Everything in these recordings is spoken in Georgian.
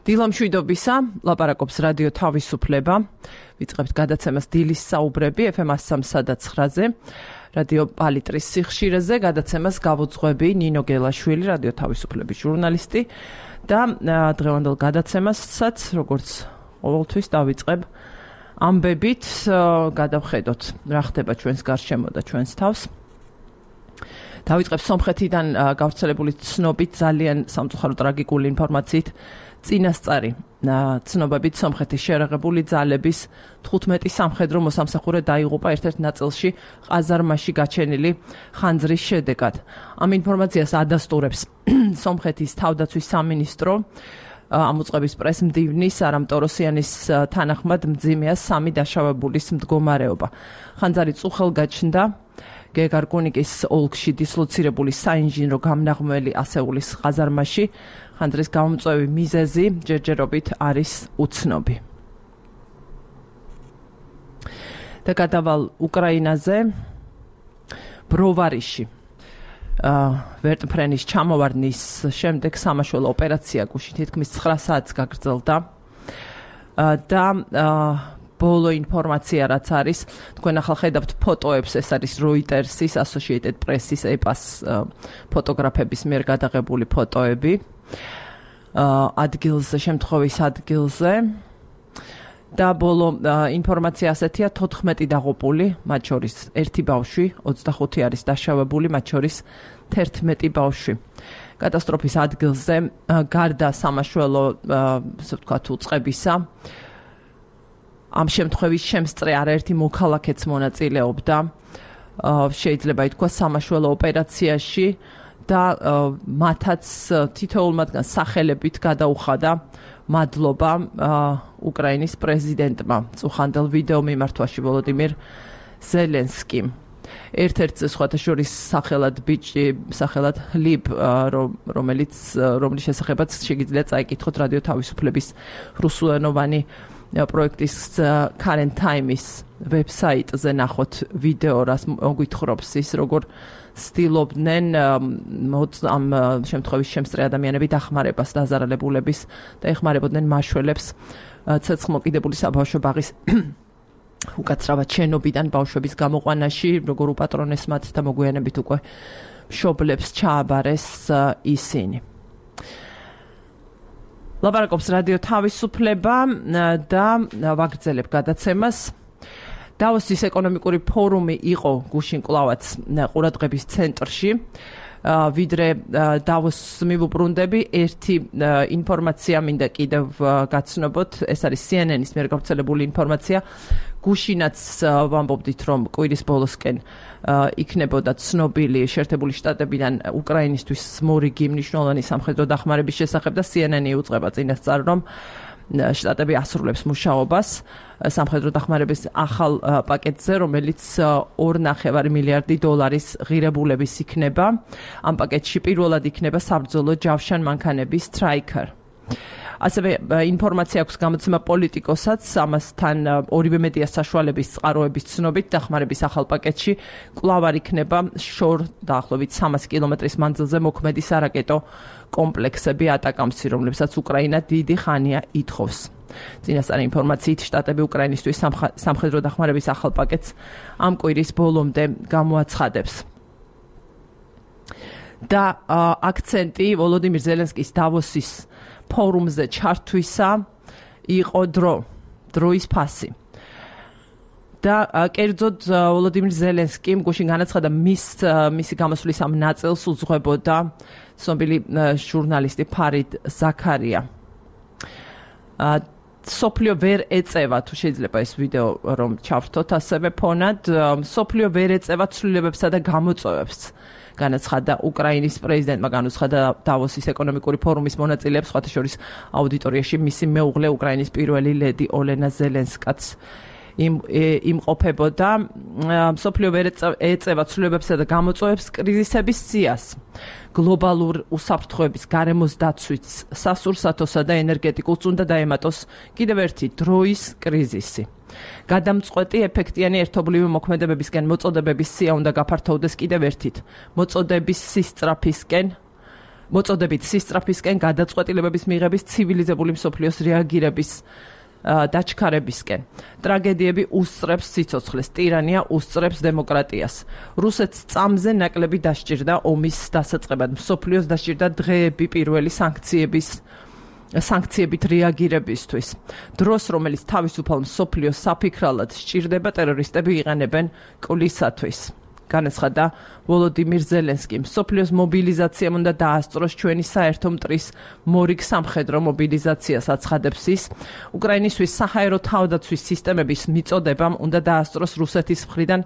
დილამშვიდობისა, ლაპარაკობს რადიო თავისუფლება. ვიწყებთ გადაცემას დილის საუბრები FM 103.9-ზე, რადიო პალიტრის სიხშირეზე. გადაცემას გავუძღვები ნინო გელაშვილი, რადიო თავისუფლების ჟურნალისტი და დღევანდელ გადაცემასაც, როგორც ყოველთვის, დავიწყებ ამბებით, გადავხედოთ რა ხდება ჩვენს გარშემო და ჩვენს თავს. დავიწყებ სომხეთიდან გავრცელებული ცნობით ძალიან სამწუხარო ტრაგიკული ინფორმაციით. წინასწარი ცნობებით სომხეთის შერაღებული ძალების 15 სამხედრო მოსამსახურე დაიღუპა ერთ-ერთ ნაწილში ყაზარმაში გაჩენილი ხანძრის შედეგად. ამ ინფორმაციას ადასტურებს სომხეთის თავდაცვის სამინისტრო. ამოწყების პრესმდივნის არამ ტოროსიანის თანახმად მძიმეა 3 დაშავებულის მდგომარეობა. ხანძარი წუხელ გაჩნდა გეგარკუნიკის ოლქში დისლოცირებული საინჟინრო გამნაღმველი ასეულის ყაზარმაში. ხანძრის გამომწვევი მიზეზი ჯერჯერობით არის უცნობი. და გადავალ უკრაინაზე. ბროვარიში ვერტმფრენის ჩამოვარდნის შემდეგ სამაშველო ოპერაცია გუშინ თითქმის 9 საათს გაგრძელდა და ბოლო ინფორმაცია რაც არის, თქვენ ახლა ხედავთ ფოტოებს, ეს არის Reuters-ის, Associated Press-ის, EPA-ს ფოტოგრაფების მიერ გადაღებული ფოტოები. ადგილზე, შემთხვევის ადგილზე. და ბოლო ინფორმაცია ასეთია, 14 დაღუპული, მათ შორის 1 ბავშვი, 25 არის დაშავებული, მათ შორის 11 ბავშვი. კატასტროფის ადგილზე გარდა სამაშველო, ასე ვთქვათ, უწყებისა, ამ შემთხვევის შემსწრე არაერთი მოქალაქეც მონაწილეობდა, შეიძლება ითქვას სამაშველო ოპერაციაში და მათაც თითოეულ მათგანს სახელებით გადაუხადა მადლობა უკრაინის პრეზიდენტმა წუხანდელ ვიდეო მიმართვაში ვოლოდიმირ ზელენსკიმ. ერთ-ერთი სხვათა შორის სახელად ბიჭი, სახელად ლიბ, რომლის შესახებაც შეგიძლიათ წაიკითხოთ რადიო თავისუფლების რუსულენოვანი პროექტის Current Time-ის ვებსაიტზე ნახოთ ვიდეო, რას მოგვითხრობს ის, როგორ ცდილობდნენ ამ შემთხვევის შემსწრე ადამიანები დახმარებას დაზარალებულების და ეხმარებოდნენ მაშველებს ცეცხლმოკიდებული საბავშვო ბაღის უკაცრავად შენობიდან ბავშვების გამოყვანაში, როგორ უპატრონეს მათ და მოგვიანებით უკვე მშობლებს ჩააბარეს ისინი. ლაპარაკობს რადიო თავისუფლება და ვაგრძელებ გადაცემას. დავოსის ეკონომიკური ფორუმი იყო გუშინ კვლავაც ყურადღების ცენტრში. ვიდრე დავოსს მივუბრუნდები, ერთი ინფორმაცია მინდა კიდევ გაცნობოთ, ეს არის CNN-ის მიერ გავრცელებული ინფორმაცია. გუშინაც ვამბობდით, რომ კვირის ბოლოსკენ იქნებოდა ცნობილი შეერთებული შტატებიდან უკრაინისთვის მორიგი მნიშვნელოვანი სამხედრო დახმარების შესახებ და CNN-ი უწყება წინასწარ, რომ შტატები ასრულებს მუშაობას სამხედრო დახმარების ახალ პაკეტზე, რომელიც 2.5 მილიარდი დოლარის ღირებულების იქნება. ამ პაკეტში პირველად იქნება საბრძოლო ჯავშან მანქანების Stryker. ასევე ინფორმაცია აქვს გამოცემა პოლიტიკოსაც, ამასთან ორივე მედია საშუალების წყაროების ცნობით დახმარების ახალ პაკეტში კვლავ არ იქნება შორ დაახლოებით 300 კილომეტრის მანძილზე მოქმედი სარაკეტო კომპლექსები ატაკამსი, რომლებსაც უკრაინა დიდი ხანია ითხოვს. წინასწარი ინფორმაციით, შტატები უკრაინისთვის სამხედრო დახმარების ახალ პაკეტს ამ კვირის ბოლომდე გამოაცხადებს. და აქცენტი ვოლოდიმირ ზელენსკის დავოსის ფორუმზე ჩართვისა იყო დროის ფასი. და კერძოდ ვოლოდიმირ ზელენსკიმ გუშინ განაცხადა მისი გამოსვლის ამ ნაწილს უძღვებოდა ცნობილი ჟურნალისტი ფარიდ ზაქარია. სოფლიო ვერ ეწევა, თუ შეიძლება ეს ვიდეო რომ ჩავრთოთ ასევე ფონად, სოფლიო ვერ ეწევა ცვლილებებსა და გამოწვევებს. განაცხადა უკრაინის პრეზიდენტმა, განუცხადა დავოსის ეკონომიკური ფორუმის მონაწილეებს, სხვათა შორის აუდიტორიაში მისი მეუღლე უკრაინის პირველი ლედი ოლენა ზელენსკაც იმყოფებოდა. სოფლიო ვერ ეწევა ცვლილებებსა და გამოწვევებს კრიზისების სიას, გლობალურ უსაფრთხოების გარემოს დაცვით, სასურსათოსა და ენერგეტიკულ წუნდა დაემატოს კიდევ ერთი დროის კრიზისი. გადამწყვეტი ეფექტიანი ერთობლივი მოქმედებებისკენ მოწოდებების სია უნდა გაფართოვდეს კიდევ ერთით. მოწოდების სისწრაფისკენ მოწოდებით სისწრაფისკენ, გადაწყვეტილებების მიღების, ცივილიზებული მსოფლიოს რეაგირების დაჩქარებისკენ. ტრაგედიები უსწრებს სიცოცხლეს, ტირანია უსწრებს დემოკრატიას. რუსეთს წამზე ნაკლები დასჭირდა ომის დასაწყებად, მსოფლიოს დასჭირდა დღეები პირველი სანქციებით რეაგირებისთვის. დროს, რომელიც თავისუფალ მსოფლიოს საფიქრალად სჭირდება, ტერორისტები იყენებენ კვლისათვის. განაცხადა ვოლოდიმირ ზელენსკი. მსოფლიოს მობილიზაციამ უნდა დაასწროს ჩვენი საერთო მტრის მორიგ სამხედრო მობილიზაციას აცხადებს ის. უკრაინისთვის საჰაერო თავდაცვის სისტემების მიწოდებამ უნდა დაასწროს რუსეთის მხრიდან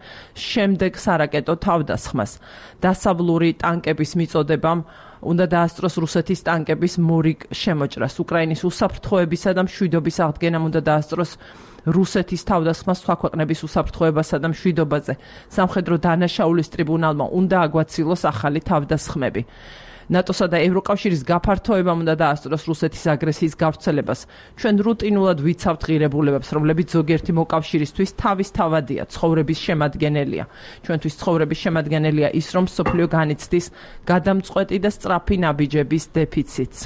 შემდეგ სარაკეტო თავდასხმას. დასავლური ტანკების მიწოდებამ უნდა დაასწროს რუსეთის ტანკების მორიგ შემოჭრას. უკრაინის უსაფრთხოებისა და მშვიდობის აღდგენამ უნდა დაასწროს რუსეთის თავდასხმა სხვა ქვეყნების უსაფრთხოებასა და მშვიდობაზე. სამხედრო დანაშაულის ტრიბუნალმა უნდა აგვაცილოს ახალი თავდასხმები. ნატოსა და ევროკავშირის გაფართოებამ უნდა დაასწროს რუსეთის აგრესიის გავრცელებას. ჩვენ რუტინულად ვიცავთ ღირებულებებს, რომლებიც ზოგიერთი მოკავშირისთვის თავისთავადია, ცხოვრების შემადგენელია. ჩვენთვის ცხოვრების შემადგენელია ის, რომ მსოფლიო განიცდის გადამწყვეტი და სწრაფი ნაბიჯების დეფიციტს.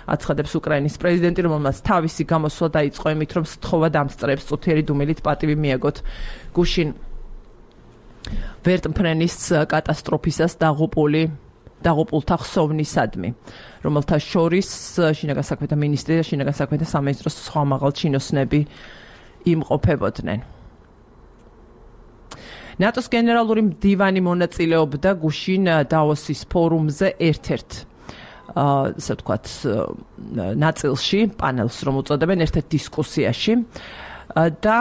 აცხადებს უკრაინის პრეზიდენტი, რომელმაც თავისი გამოსვლა დაიწყო იმით, რომ სთხოვა დამსწრეებს წუთიერი დუმილით პატივი მიაგოთ გუშინ ვერტმფრენის კატასტროფისას დაღუპულთა ხსოვნისადმი, რომელთა შორის შინაგან საქმეთა მინისტრი და შინაგან საქმეთა სამინისტროს სხვა მაღალ ჩინოსნები იმყოფებოდნენ. ნატოს გენერალური მდივანი მონაწილეობდა გუშინ დავოსის ფორუმზე ერთ-ერთ ასე ვთქვათ ნაწილში, პანელს რომ უწოდებენ, ერთ-ერთ დისკუსიაში და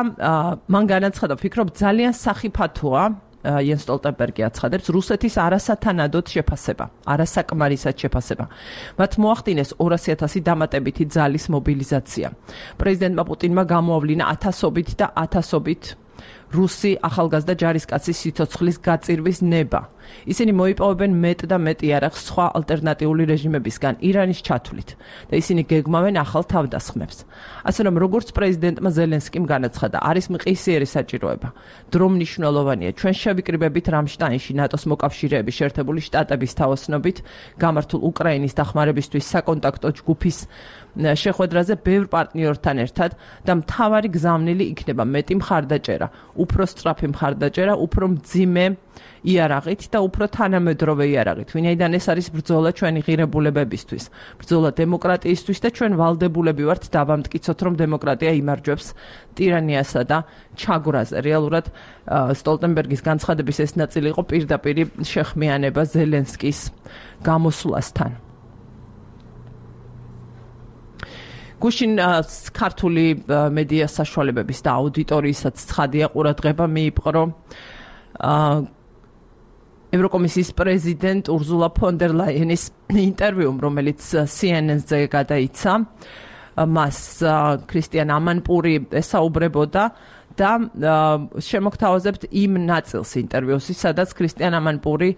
მან განაცხადა, ვფიქრობ, ძალიან სახიფათოა იენ სტოლტენბერგი აცხადებს რუსეთის არასათანადოდ შეფასება, არასაკმარისად შეფასება. მათ მოახდინეს 200,000 დამატებითი ძალის მობილიზაცია. პრეზიდენტმა პუტინმა გამოავლინა ათასობით და ათასობით რუსი ახალგაზრდა ჯარისკაცის სიცოცხლის გაწირვის ნება. ისინი მოიპოვებენ მეტ და მეტ იარაღს სხვა ალტერნატიული რეჟიმებისგან, ირანის ჩათვლით და ისინი გეგმავენ ახალ თავდასხმებს. ასე რომ, როგორც პრეზიდენტმა ზელენსკიმ განაცხადა, არის მყისიერი საჭიროება. დრო მნიშვნელოვანია. ჩვენ შევიკრიბებით რამშტაინში ნატოს მოკავშირეების შეერთებული შტატების თავოსნობით გამართულ უკრაინის დახმარებისთვის საკონტაქტო ჯგუფის შეხვედრაზე ბევრ პარტნიორთან ერთად და მთავარი გზავნილი იქნება მეტი მხარდაჭერა, უფრო სწრაფი მხარდაჭერა, უფრო მძიმე იარაღით და უფრო თანამედროვე იარაღით. ვინაიდან ეს არის ბრძოლა ჩვენი ღირებულებებისთვის, ბრძოლა დემოკრატიისთვის და ჩვენ ვალდებულები ვართ დავამტკიცოთ, რომ დემოკრატია იმარჯვებს ტირანიასა და ჩაგვრაზე. რეალურად სტოლტენბერგის განცხადების ეს ნაწილი იყო პირდაპირი შეხმიანება ზელენსკის გამოსვლასთან. გუშინ ქართული მედია საშუალებების და აუდიტორიისაც ცხადია ყურადღება მიიპყრო ევროკომისიის პრეზიდენტ ურზულა ფონ დერ ლაიენის ინტერვიუმ, რომელიც CNN-ზე გადაიცა. მას ქრისტიან ამანპური ესაუბრებოდა და შემოგთავაზებთ იმ ნაწილს ინტერვიუს, სადაც ქრისტიან ამანპური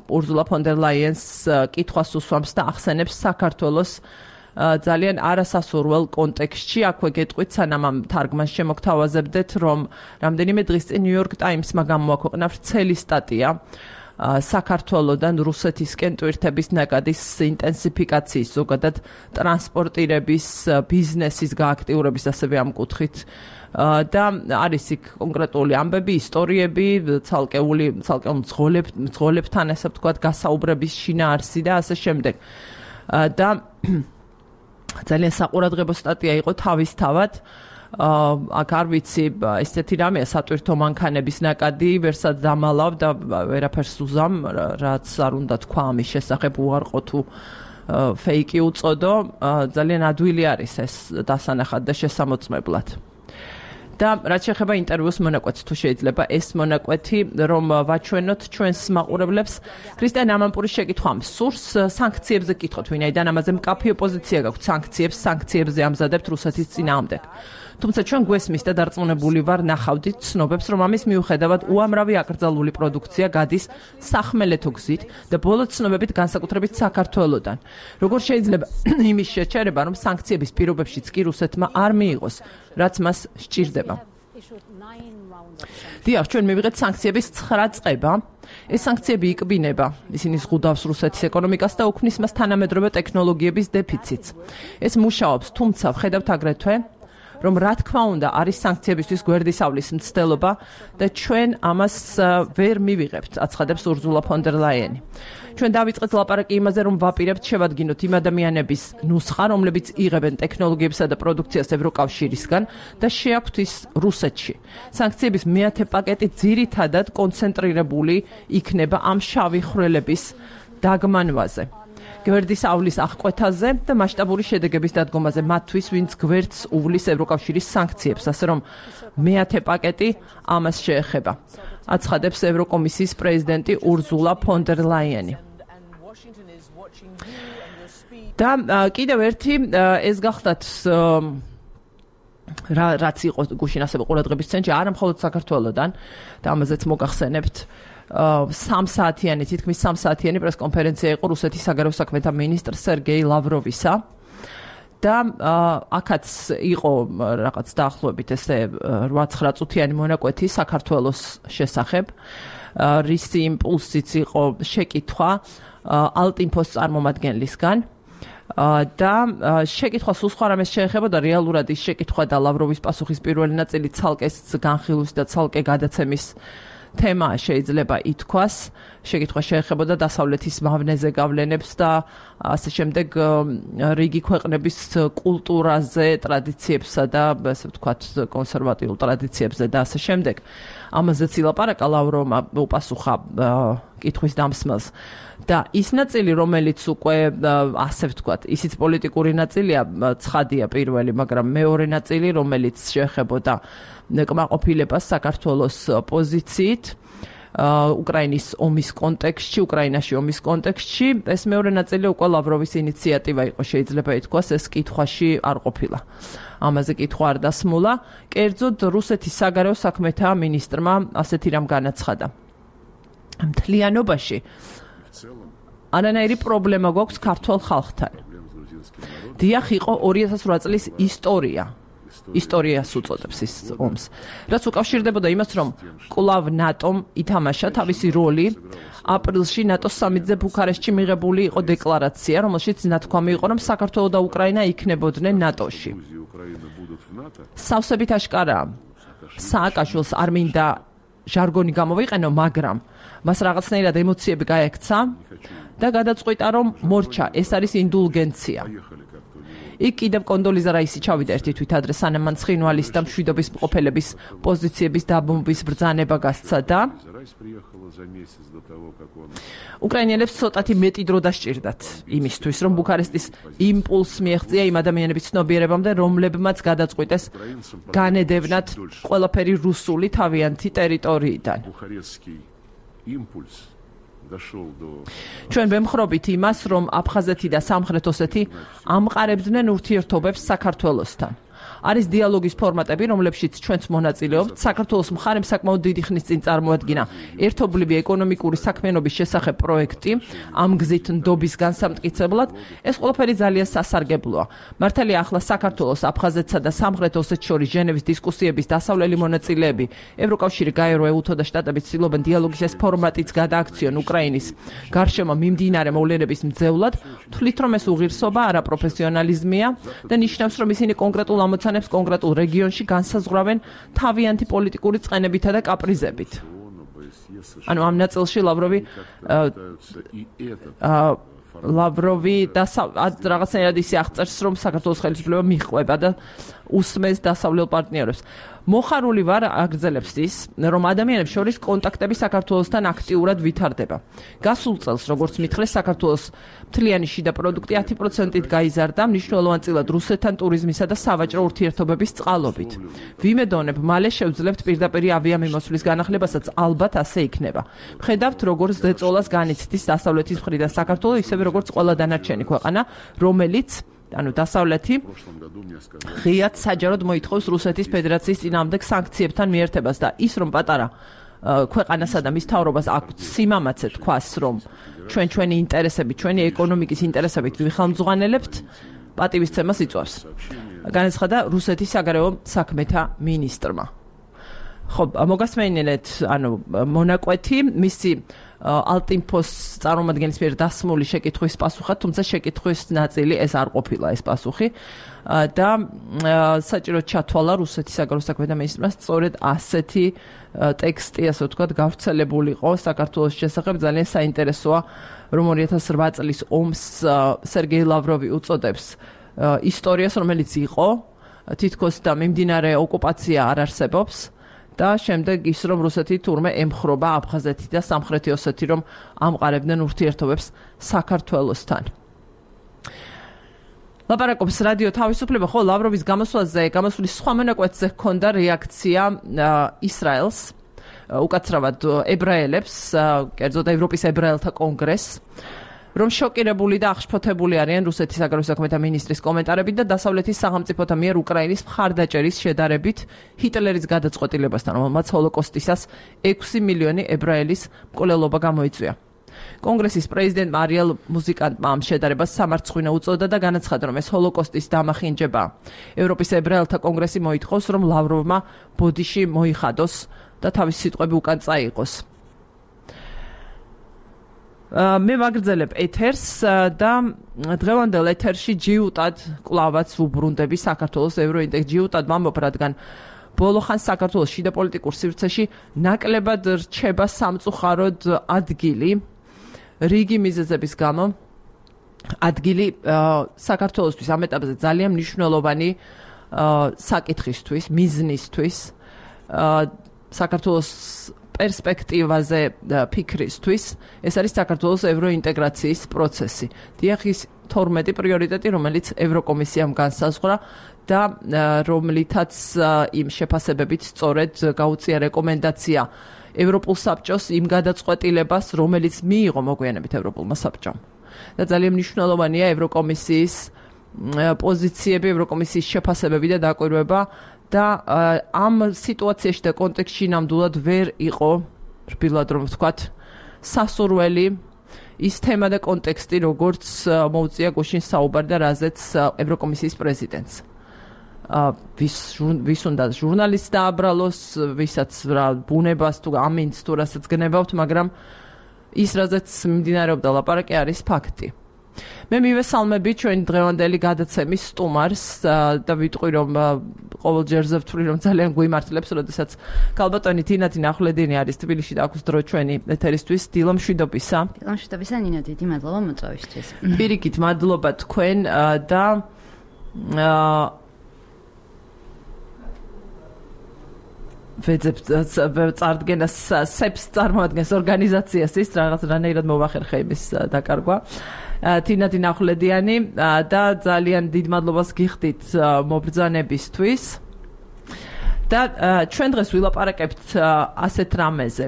ურზულა ფონ დერ ლაიენს კითხვას უსვამს და ახსენებს საქართველოს ძალიან არასასურველ კონტექსტში. აქვე გეტყვით, სანამ ამ თარგმანს შემოგთავაზებდეთ, რომ რამდენიმე დღის წინ New York Times-მა გამოაქვეყნა ვრცელი სტატია საქართველოდან რუსეთისკენ ტვირთების ნაკადის ინტენსიფიკაციის, ზოგადად ტრანსპორტირების, ბიზნესის გააქტიურების, ასევე ამ კუთხით და არის იქ კონკრეტული ამბები, ისტორიები, ცალკეულ მძღოლებთან, ასე ვთქვათ, გასაუბრების შინაარსი და ასე შემდეგ. და ძალიან საყურადღებო სტატია იყო თავისთავად. აქ არ ვიცი, ესეთი რამეა სატვირთო მანქანების ნაკადი, ვერსაც დამალავ და ვერაფერს უზამ, რაც არ უნდა თქვა ამის შესახებ, უარყო თუ ფეიკი უწოდო. ძალიან ადვილი არის ეს დასანახად და შესამოწმებლად. და რაც შეეხება ინტერვიუს მონაკვეთს, თუ შეიძლება ეს მონაკვეთი რომ ვაჩვენოთ ჩვენს მაყურებლებს, ქრისტიან ამანპურის შეკითხვამ სურს სანქციებზე კითხოთ, ვინაიდან ამაზე მკაფი ოპოზიცია გაქვთ, სანქციებზე ამზადებთ რუსეთის წინააღმდეგ. თუმცა ჩვენ გვესმის და დარწმუნებული ვარ ნახავდით ცნობებს, რომ ამის მიუხედავად უამრავი აკრძალული პროდუქცია გადის სახმელეთო გზით და ბოლო ცნობებით განსაკუთრებით საქართველოდან. როგორ შეიძლება იმის შეჩერება, რომ სანქციების პირობებშიც კი რუსეთმა არ მიიღოს, რაც მას სჭირდება. დიახ, ჩვენ მივიღეთ სანქციების 9 წება. ეს სანქციები იკბინება ისინი ზღუდავს რუსეთის ეკონომიკას და უქმნის მას თანამედროვე ტექნოლოგიების დეფიციტს. ეს მუშაობს, თუმცა ვხედავთ აგრეთვე რომ რა თქმა უნდა არის სანქციებისთვის გვერდისავლის მცდელობა და ჩვენ ამას ვერ მივიღებთ, აცხადებს ურზულა ფონ დერ ლაიენი. ჩვენ დავიწყეთ ლაპარაკი იმაზე, რომ ვაპირებთ შევადგინოთ იმ ადამიანების ნუსხა, რომლებიც იღებენ ტექნოლოგიებსა და პროდუქციას ევროკავშირისგან და შეაქვთ ის რუსეთში. სანქციების მეათე პაკეტი ძირითადად კონცენტრირებული იქნება ამ შავი ხვრელების დაგმანვაზე. გვერდის ავლის აღკვეთაზე და მასშტაბური შედეგების დადგომაზე მათთვის, ვინც გვერდს უვლის ევროკავშირის სანქციებს, ასე რომ მეათე პაკეტი ამას შეეხება. აცხადებს ევროკომისიის პრეზიდენტი ურზულა ფონ დერ ლაიენი. და კიდევ ერთი ეს გახდათ რაც იყო გუშინ ასევე ყურადღების ცენტრში, არა მხოლოდ საქართველოდან და ამაზეც მოგახსენებთ 3 საათიანი, თითქმის 3 საათიანი პრესკონფერენცია იყო რუსეთის საგარეო საქმეთა მინისტრ სერგეი ლავროვისა და აქაც იყო რაღაც დაახლოებით ესე 8-9 წუთიანი მონაკვეთი საქართველოს შესახებ. რისი იმპულსიც იყო შეკითხვა ალტინფოს წარმომადგენლისგან და შეკითხვა სულ სხვა რამეს შეეხებოდა რეალურად ის შეკითხვა და ლავროვის პასუხის პირველი ნაწილი ცალკე განხილვის და ცალკე გადაცემის თემა შეიძლება ითქვას. შეკითხვა შეეხებოდა დასავლეთის მავნეზე გავლენებს და ასე შემდეგ რიგი ქვეყნების კულტურაზე, ტრადიციებსა და ასე ვთქვათ კონსერვატიულ ტრადიციებზე და ასე შემდეგ. ამაზეც ილაპარაკა ლავროვმა უპასუხა კითხვის დამსმელს. და ის ნაწილი, რომელიც უკვე ასე ვთქვათ, ისიც პოლიტიკური ნაწილია, ცხადია პირველი, მაგრამ მეორე ნაწილი, რომელიც შეეხებოდა კმაყოფილებას საქართველოს პოზიციით უკრაინის ომის კონტექსტში, უკრაინაში ომის კონტექსტში, ეს მეორე ნაწილი უკვე ლავროვის ინიციატივა იყო, შეიძლება ითქვას, ეს კითხვაში არ ყოფილა. ამაზე კითხვა არ დასმულა. კერძოდ რუსეთის საგარეო საქმეთა მინისტრმა ასეთი რამ განაცხადა. მთლიანობაში არანაირი პრობლემა გვაქვს ქართულ ხალხთან. დიახ, იყო 2008 წლის ისტორიას უწოდებს ის ომს. რაც უკავშირდებოდა იმას, რომ კვლავ ნატომ ითამაშა თავისი როლი აპრილში ნატოს სამიტზე ბუქარესტში მიღებული იყო დეკლარაცია, რომელშიც ნათქვამი იყო, რომ საქართველო და უკრაინა იქნებოდნენ ნატოში. სავსებით აშკარაა, სააკაშვილს არ მინდა ჟარგონი გამოვიყენო, მაგრამ მას რაღაცნაირად ემოციები გაექცა და გადაწყვიტა, რომ მორჩა, ეს არის ინდულგენცია. იქ კიდევ კონდოლიზა რაისი ჩავიდა ერთი თვით ადრე, სანამ მან ცხინვალის და მშვიდობის მყოფელების პოზიციების დაბომბვის ბრძანება გასცა და უკრაინელებს ცოტათი მეტი დრო დასჭირდათ იმისთვის, რომ ბუქარესტის იმპულსს მიეღწია იმ ადამიანების ცნობიერებამდე, რომლებმაც გადაწყვიტეს განედევნათ ყველაფერი რუსული თავიანთი ტერიტორიიდან. ჩვენ ვემხრობით იმას, რომ აფხაზეთი და სამხრეთ ოსეთი ამყარებდნენ ურთიერთობებს საქართველოსთან. არის დიალოგის ფორმატები, რომლებშიც ჩვენც მონაწილეობთ. საქართველოს მხარემ საკმაოდ დიდი ხნის წინ წარმოადგინა ერთობლივი ეკონომიკური საქმიანობის შესახებ პროექტი ამ გზით ნდობის განსამტკიცებლად. ეს ყველაფერი ძალიან სასარგებლოა. მართალია ახლა საქართველოს, აფხაზეთსა და სამხრეთ ოსეთს შორის ჟენევის დისკუსიების დასავლელი მონაწილეები ევროკავშირი, გაერო, ეუთო და შტატები ცდილობენ დიალოგის ეს ფორმატიც გადააქციონ უკრაინის გარშემო მიმდინარე მოვლენების მძევლად. თვლით, რომ ეს უღირსობა, არა პროფესიონალიზმია და ნიშნავს, რომ ისინი კონკრეტულ ამოცანებს კონკრეტულ რეგიონში განსაზღვრავენ თავიანთი პოლიტიკური წყენებითა და კაპრიზებით. ანუ ამ ნაწილში ლავროვი რაღაცნაირად ისე აღწერს, რომ საქართველოს ხელისუფლება მიჰყვება და უსმენს დასავლელ პარტნიორებს. მოხარული ვარ, აგრძელებს ის, რომ ადამიანებს შორის კონტაქტები საქართველოსთან აქტიურად ვითარდება. გასულ წელს, როგორც მითხრეს, საქართველოს მთლიანი შიდა პროდუქტი 10%-ით გაიზარდა, მნიშვნელოვანწილად რუსეთთან ტურიზმისა და სავაჭრო ურთიერთობების წყალობით. ვიმედოვნებ, მალე შევძლებთ პირდაპირ ავიამიმოსვლის განახლებასაც, ალბათ ასე იქნება. ვხედავთ, როგორც ზეწოლას განიცდის დასავლეთის მხრიდან საქართველო, ისევე როგორც ყველა დანარჩენი ქვეყანა, რომელიც ანუ დასავლეთი ღიად საჯაროდ მოითხოვს რუსეთის ფედერაციის წინააღმდეგ სანქციებთან მიერთებას და ის რომ პატარა ქვეყანასა და მის მთავრობას აქვს სიმამაცე თქვას, რომ ჩვენი ინტერესები, ჩვენი ეკონომიკის ინტერესებით ვიხელმძღვანელებთ, პატივისცემას იწვევს. განაცხადა რუსეთის საგარეო საქმეთა მინისტრმა. ხო, მოგასმენინეთ, ანუ მონაკვეთი მისი ალტინფოს წარმომადგენლის მიერ დასმული შეკითხვის პასუხად, თუმცა შეკითხვის ნაწილი ეს არ ყოფილა ეს პასუხი და საჭიროდ ჩათვალა რუსეთის საგარეო საქმეთა მინისტრმა სწორედ ასეთი ტექსტი, ასე ვთქვათ, გავრცელებულიყო საქართველოს შესახებ. ძალიან საინტერესოა, რომ 2008 წლის ომს სერგეი ლავროვი უწოდებს ისტორიას, რომელიც იყო თითქოს და მიმდინარე ოკუპაცია არ არსებობს და შემდეგ ის რომ რუსეთი თურმე ემხრობა აფხაზეთი და სამხრეთი ოსეთი რომ ამყარებდნენ ურთიერთობებს საქართველოსთან. ლაპარაკობს რადიო თავისუფლება, ხო, ლავროვის გამოსვლის სხვა მონაკვეთზე ჰქონდა რეაქცია ისრაელს, უკაცრავად ებრაელებს, კერძოდ ევროპის ებრაელთა კონგრესს, რომ შოკირებული და აღშფოთებული არიან რუსეთის საგარეო საქმეთა მინისტრის კომენტარებით და დასავლეთის სახელმწიფოთა მიერ უკრაინის მხარდაჭერის შედარებით ჰიტლერის გადაწყვეტილებასთან, რომელმაც ჰოლოკოსტისას 6 მილიონი ებრაელის მკვლელობა გამოიწვია. კონგრესის პრეზიდენტმა არიელ მუზიკანტმა ამ შედარებას სამარცხვინო უწოდა და განაცხადა, რომ ეს ჰოლოკოსტის დამახინჯება. ევროპის ებრაელთა კონგრესი მოითხოვს, რომ ლავროვმა ბოდიში მოიხადოს და თავის სიტყვები უკან წაიღოს. მე ვაგრძელებ ეთერს და დღევანდელ ეთერში ჯიუტად კლავაც ვუბრუნდები საქართველოს ევროინტეგ ჯიუტად ვამბობ, რადგან ბოლო ხანს საქართველოს შიდა პოლიტიკურ სივრცეში ნაკლებად რჩება სამწუხაროდ ადგილი რიგი მიზეზების გამო. ადგილი საქართველოსთვის ამ ეტაპზე ძალიან მნიშვნელოვანი საკითხისთვის, მიზნისთვის, საქართველოს პერსპექტივაზე ფიქრისთვის, ეს არის საქართველოს ევროინტეგრაციის პროცესი. დიახ, ის 12 პრიორიტეტი, რომელიც ევროკომისიამ განსაზღვრა და რომლითაც იმ შეფასებებით სწორედ გაუწია რეკომენდაცია ევროპულ საბჭოს იმ გადაწყვეტილებას, რომელიც მიიღო მოგვიანებით ევროპულმა საბჭომ. და ძალიან მნიშვნელოვანია ევროკომისიის პოზიციები, ევროკომისიის შეფასებები და დაკვირვება და ამ სიტუაციაში და კონტექსტში ნამდვილად ვერ იყო, რბილად რომ ვთქვათ, სასურველი ის თემა და კონტექსტი, როგორც მოუწია გუშინ საუბარი და რაზეც ევროკომისიის პრეზიდენტს. ვის უნდა ჟურნალისტს დააბრალოს, ვისაც რა ბუნებას თუ ამინს თუ რასაც გნებავთ, მაგრამ ის რაზეც მიმდინარეობდა ლაპარაკი არის ფაქტი. მე მივესალმები ჩვენ დღევანდელი გადაცემის სტუმარს და ვიტყვი რომ ყოველ ჯერზე ვთვლი რომ ძალიან გვიმართლებს, როდესაც ქალბატონი თინათინ ახვლედინი არის თბილისში და აქვს დრო ჩვენი ეთერისთვის. დილო მშვიდობისა. დილო მშვიდობისა ნინო, დიდი მადლობა მოწვევისთვის. პირიქით მადლობა თქვენ და წარდგენას სეფს წარმოადგენს ორგანიზაციას ის რაღაცნაირად მოვახერხე იმის დაკარგვა. თინათინ ახვლედიანი და ძალიან დიდ მადლობას გიხდით მობრძანებისთვის. და ჩვენ დღეს ვილაპარაკებთ ასეთ რამეზე.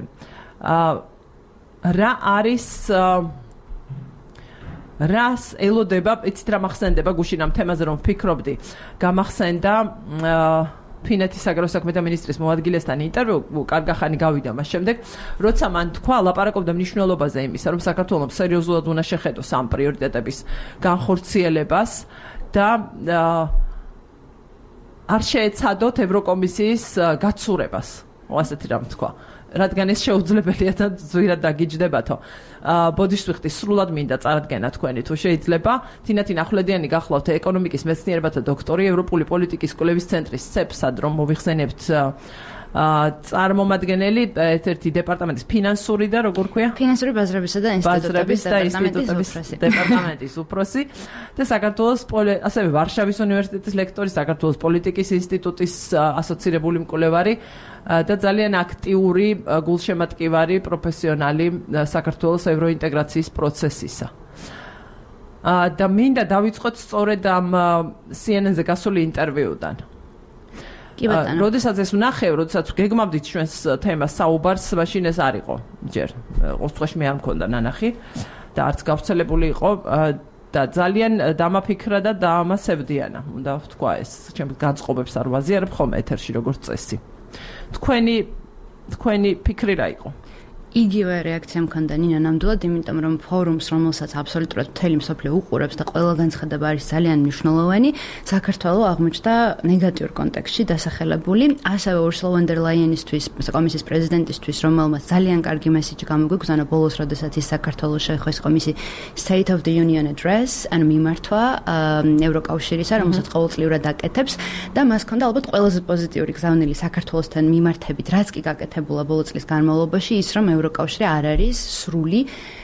რა არის რას ელოდება, იცით რა მახსენდება გუშინ ამ თემაზე რომ ვფიქრობდი, გამახსენდა ფინეთის საგარეო საქმეთა მინისტრის მოადგილესთან ინტერვიუ, კარგახანი გავიდა მას შემდეგ, როცა მან თქვა, ლაპარაკობდა მნიშვნელობაზე იმისა, რომ საქართველოს სერიოზულად უნდა შეხედოს ამ პრიორიტეტების განხორციელებას და არ შეეცადოთ ევროკომისიის გაცურებას, ასეთი რამ თქვა. რადგან ეს შეუძლებელია და ზვირად დაგიჯდებათო. ბოდიშს ვიხდი, სრულად მინდა წარადგენა თქვენი თუ შეიძლება. თინათინ ახვლედიანი გახლავთ ეკონომიკის მეცნიერებათა დოქტორი, ევროპული პოლიტიკის კვლევის ცენტრის CEPS-ად რომ მოვიხსენებთ წარმომადგენელი ერთ-ერთი დეპარტამენტის ფინანსური და როგორ ქვია? ფინანსური ბაზრებისა და ინსტიტუტების დეპარტამენტის უფროსი და საქართველოს ასევე ვარშავის უნივერსიტეტის ლექტორი, საქართველოს პოლიტიკის ინსტიტუტის ასოცირებული მკვლევარი და ძალიან აქტიური გულშემატკივარი პროფესიონალი საქართველოს ევროინტეგრაციის პროცესისა. და მინდა დავიწყოთ სწორედ ამ CNN-ზე გასული ინტერვიუდან. როდესაც ეს ვნახე, როდესაც გეგმავდით ჩვენს თემას საუბარს, მაშინ ეს არ იყო. ჯერ ყოველთვის მე არ მქონდა ნანახი და არც გავრცელებული იყო და ძალიან დამაფიქრა და დაამასებდიანა. უნდა ვთქვა ეს, ჩემს განწყობებს არ ვაზიარებ ხოლმე ეთერში როგორც წესი. თქვენი ფიქრი რა იყო? იგივე რეაქცია მქონდა ნინა ნამდვილად, იმიტომ რომ ფორუმს, რომელსაც აბსოლუტურად მთელი მსოფლიო უყურებს და ყველა განცხადება არის ძალიან მნიშვნელოვანი, საქართველოს აღმოჩნდა ნეგატიურ კონტექსტში დასახელებული, ასევე Ursula von der Leyenისთვის, კომისიის პრეზიდენტისთვის, რომელმაც ძალიან კარგი მესიჯი გამოგვიგზავნა ბოლოს, როდესაც ის საქართველოს შეხვეს კომისიის State of the Union Address, ანუ მიმართვა ევროკავშირისა, რომელსაც ყოველწლიურად აკეთებს და მას ჰქონდა ალბათ ყველაზე პოზიტიური გზავნილი საქართველოსთან მიმართებით, რაც კი გაკეთებულა ბოლო წლის განმავლობაში, ის რომ ევროკავშირი არ არის სრული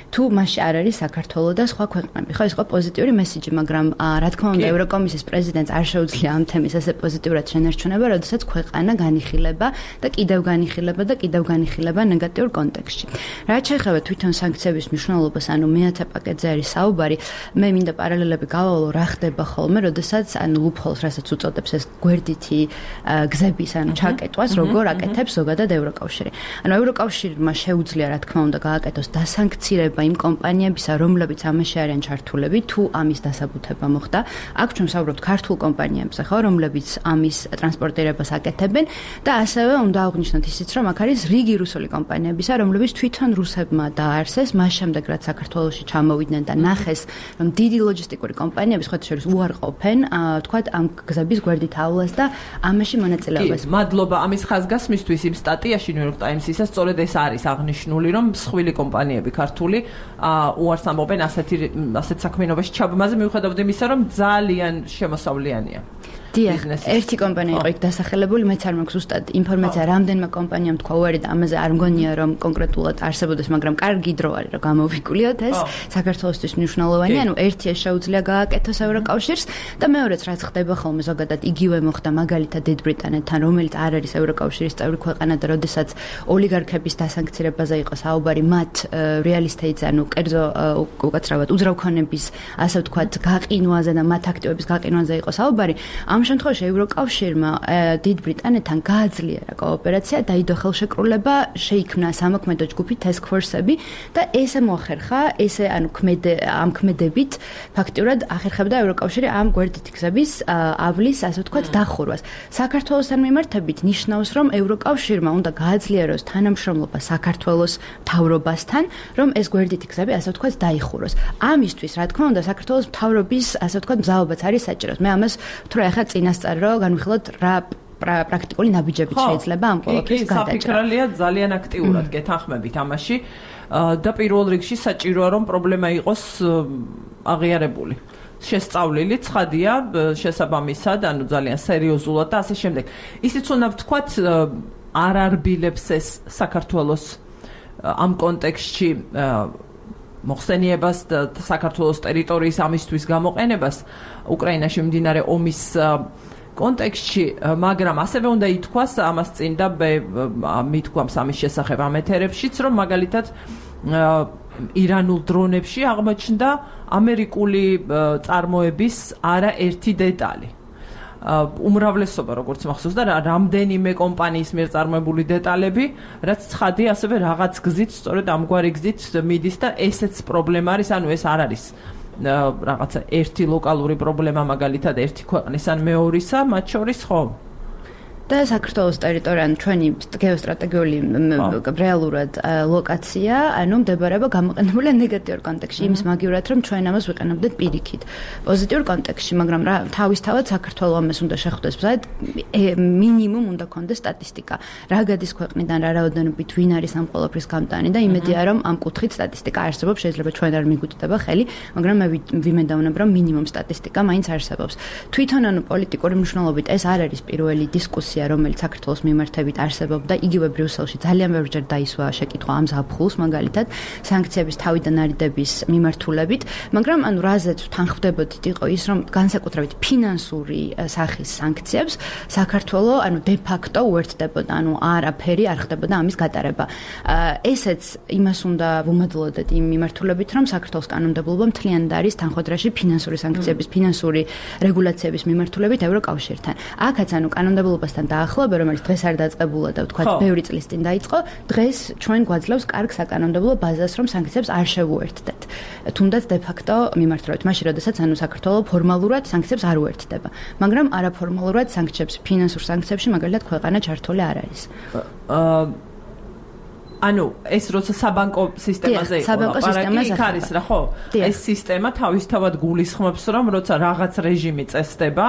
თუ მასში არ არის საქართველოს და სხვა ქვეყნები. ხო, ეს იყო პოზიტიური მესიჯი, მაგრამ რა თქმა უნდა, ევროკომისიის პრეზიდენტს არ შეუძლია ამ თემის ასე პოზიტიურად შენარჩუნება, როდესაც ქვეყანა განიხილება და კიდევ განიხილება ნეგატიურ კონტექსტში. რაც შეეხება თვითონ სანქციების მნიშვნელობას, ანუ მეათე პაკეტზე არის საუბარი, მე მინდა პარალელები გავავალო, რა ხდება ხოლმე, როდესაც ანუ ლუპჰოლს, რასაც უწოდებს ეს გვერდითი გზების, ანუ ჩაკეტვას, როგორ აკეთებს ზოგადად ევროკავშირი. ანუ ევროკავშირმა შეუძლია, რა თქმა უნდა, გააკეთოს დასანქცირება იმ კომპანიებისა, რომლებიც ამაში არიან ჩართულები, თუ ამის დასაბუთება მოხდა. აქ ჩვენ ვსაუბრობთ ქართულ კომპანიებზე, ხო, რომლებიც ამის ტრანსპორტირებას აკეთებენ და ასევე უნდა აღვნიშნოთ ისიც, რომ აქ არის რიგი რუსული კომპანიებისა, რომლებიც თვითონ რუსებმა დააარსეს, მას შემდეგ რაც საქართველოში ჩამოვიდნენ და ნახეს, რომ დიდი ლოჯისტიკური კომპანიები სხვათა შორის უარყოფენ, თქვათ ამ გზების გვერდით ავლას და ამაში მონაწილეობას. მადლობა ამის ხაზგასმისთვის იმ სტატიაში New York Times-ისა სწორედ ეს არის აღნიშნული, რომ მსხვილი კომპანიები ქართული უარს ამბობენ ასეთ საქმიანობაში ჩაბმაზე, მიუხედავად იმისა, რომ ძალიან შემოსავლიანია. დიახ, ერთი კომპანია იყო იქ დასახელებული, მეც არ მაქვს ზუსტად ინფორმაცია, რამდენმა კომპანიამ თქვა უარი და ამაზე არ მგონია რომ კონკრეტულად არსებობდეს, მაგრამ კარგი დრო არის რომ გამოვიკვლიოთ ეს საქართველოსთვის მნიშვნელოვანია, ანუ ერთი ეს შეუძლია გააკეთოს ევროკავშირს და მეორეც რაც ხდება ხოლმე ზოგადად იგივე მოხდა მაგალითად დიდ ბრიტანეთთან, რომელიც არ არის ევროკავშირის წევრი ქვეყანა და როდესაც ოლიგარქების დასანქცირებაზე იყო საუბარი, მათ real estate-ზე, ანუ კერძო უკაცრავად უძრავქონების, ასე ვთქვათ, გაყინვაზე და მათ აქტივების გაყინვაზე იყო საუბარი. ამ შემთხვევაში ევროკავშირმა დიდ ბრიტანეთთან გააძლიერა კოოპერაცია, დაიდო ხელშეკრულება, შეიქმნა სამოქმედო ჯგუფი task force-ები და ესე მოახერხა, ანუ ამ ქმედებით ფაქტიურად ახერხებდა ევროკავშირი ამ გვერდითი გზების ავლის, ასე ვთქვათ, დახურვას. საქართველოსთან მიმართებით ნიშნავს, რომ ევროკავშირმა უნდა გააძლიეროს თანამშრომლობა საქართველოს მთავრობასთან, რომ ეს გვერდითი გზები, ასე ვთქვათ, დაიხუროს. ამისთვის, რა თქმა უნდა, საქართველოს მთავრობის, ასე ვთქვათ, მზაობაც არის საჭირო. მე ამას ვთქვი ახლა წინასწარ რომ განვიხილოთ რა პრაქტიკული ნაბიჯებით შეიძლება ამ ყველაფრის გადაჭრა. საფიქრალია ძალიან აქტიურად გეთანხმებით ამაში და პირველ რიგში საჭიროა რომ პრობლემა იყოს აღიარებული. შესწავლილი ცხადია შესაბამისად, ანუ ძალიან სერიოზულად და ასე შემდეგ. ისიც უნდა ვთქვათ არ არბილებს ეს საქართველოს ამ კონტექსტში მოხსენიებას და საქართველოს ტერიტორიის ამისთვის გამოყენებას უკრაინაში მიმდინარე ომის კონტექსტში, მაგრამ ასევე უნდა ითქვას ამას წინ და მithქვამს ამის შესახებ ამ ეთერებშიც, რომ მაგალითად ირანულ დრონებში აღმოჩნდა ამერიკული წარმოების არაერთი დეტალი. უმრავლესობა როგორც მახსოვს და რამდენიმე კომპანიის მიერ წარმოებული დეტალები, რაც ცხადი ასევე რაღაც გზით, სწორედ ამგვარი გზით მიდის და ესეც პრობლემა არის, ანუ ეს არ არის რაღაცა ერთი ლოკალური პრობლემა, მაგალითად ერთი ქვეყნის ან მეორისა, მათ შორის ხო? და საქართველოს ტერიტორია, ჩვენი გეოსტრატეგიული რეალურად ლოკაცია, ანუ მდებარეობა გამოყენებულია ნეგატიურ კონტექსტში, იმის მაგივრად, რომ ჩვენ ამას ვიყენებდეთ პირიქით. პოზიტიურ კონტექსტში, მაგრამ რა თავისთავად საქართველოს ამას უნდა შეხვდეს ბზად, მინიმუმ უნდა ქონდეს სტატისტიკა. რა გადის ქვეყნიდან, რა რაოდენობით ვინ არის ამ ყველაფრის გამტანი და იმედია, რომ ამ კუთხით სტატისტიკა არსებობს, შეიძლება ჩვენ არ მიგვიტდება ხელი, მაგრამ მე ვიმედავნებ, რომ მინიმუმ სტატისტიკა მაინც არსებობს. თვითონ ანუ პოლიტიკური მნიშვნელობით ეს არ არის პირველი დისკუსია, რომელიც საქართველოს მიმართებით არსებობდა, იგივე ბრიუსელში ძალიან ბევრჯერ დაისვა შეკითხვა ამ ზაფხულს, მაგალითად, სანქციების თავიდან არიდების მიმართულებით, მაგრამ ანუ რაზეც თანხმდებოდით იყო ის, რომ განსაკუთრებით ფინანსური სახის სანქციებს საქართველოს ანუ de facto უერთდებოდა, ანუ არაფერი არ ხდებოდა ამის გატარება. ესეც იმას უნდა ვუმადლოდეთ იმ მიმართულებით, რომ საქართველოს კანონმდებლობა მთლიანად არის თანხმდრაში ფინანსური სანქციების, ფინანსური რეგულაციების მიმართულებით ევროკავშირთან. აქაც ანუ კანონმდებლობასთან დაახლოება, რომელიც დღეს არ დაწყებულა და ვთქვათ, ბევრი წლის წინ დაიწყო, დღეს ჩვენ გვაძლევს კარგ საკანონმდებლო ბაზას, რომ სანქციებს არ შევუერთდეთ. თუნდაც de facto მიმართულებით, მაშინ როდესაც ანუ საქართველოს ფორმალურად სანქციებს არ უერთდება, მაგრამ არაფორმალურად სანქციებს, ფინანსურ სანქციებში მაგალითად ქვეყანა ჩართული არ არის. ანუ ეს როცა საბანკო სისტემაზე იყო, ლაპარაკი იქ არის რა, ხო? ეს სისტემა თავისთავად გულისხმობს, რომ როცა რაღაც რეჟიმი წესდება,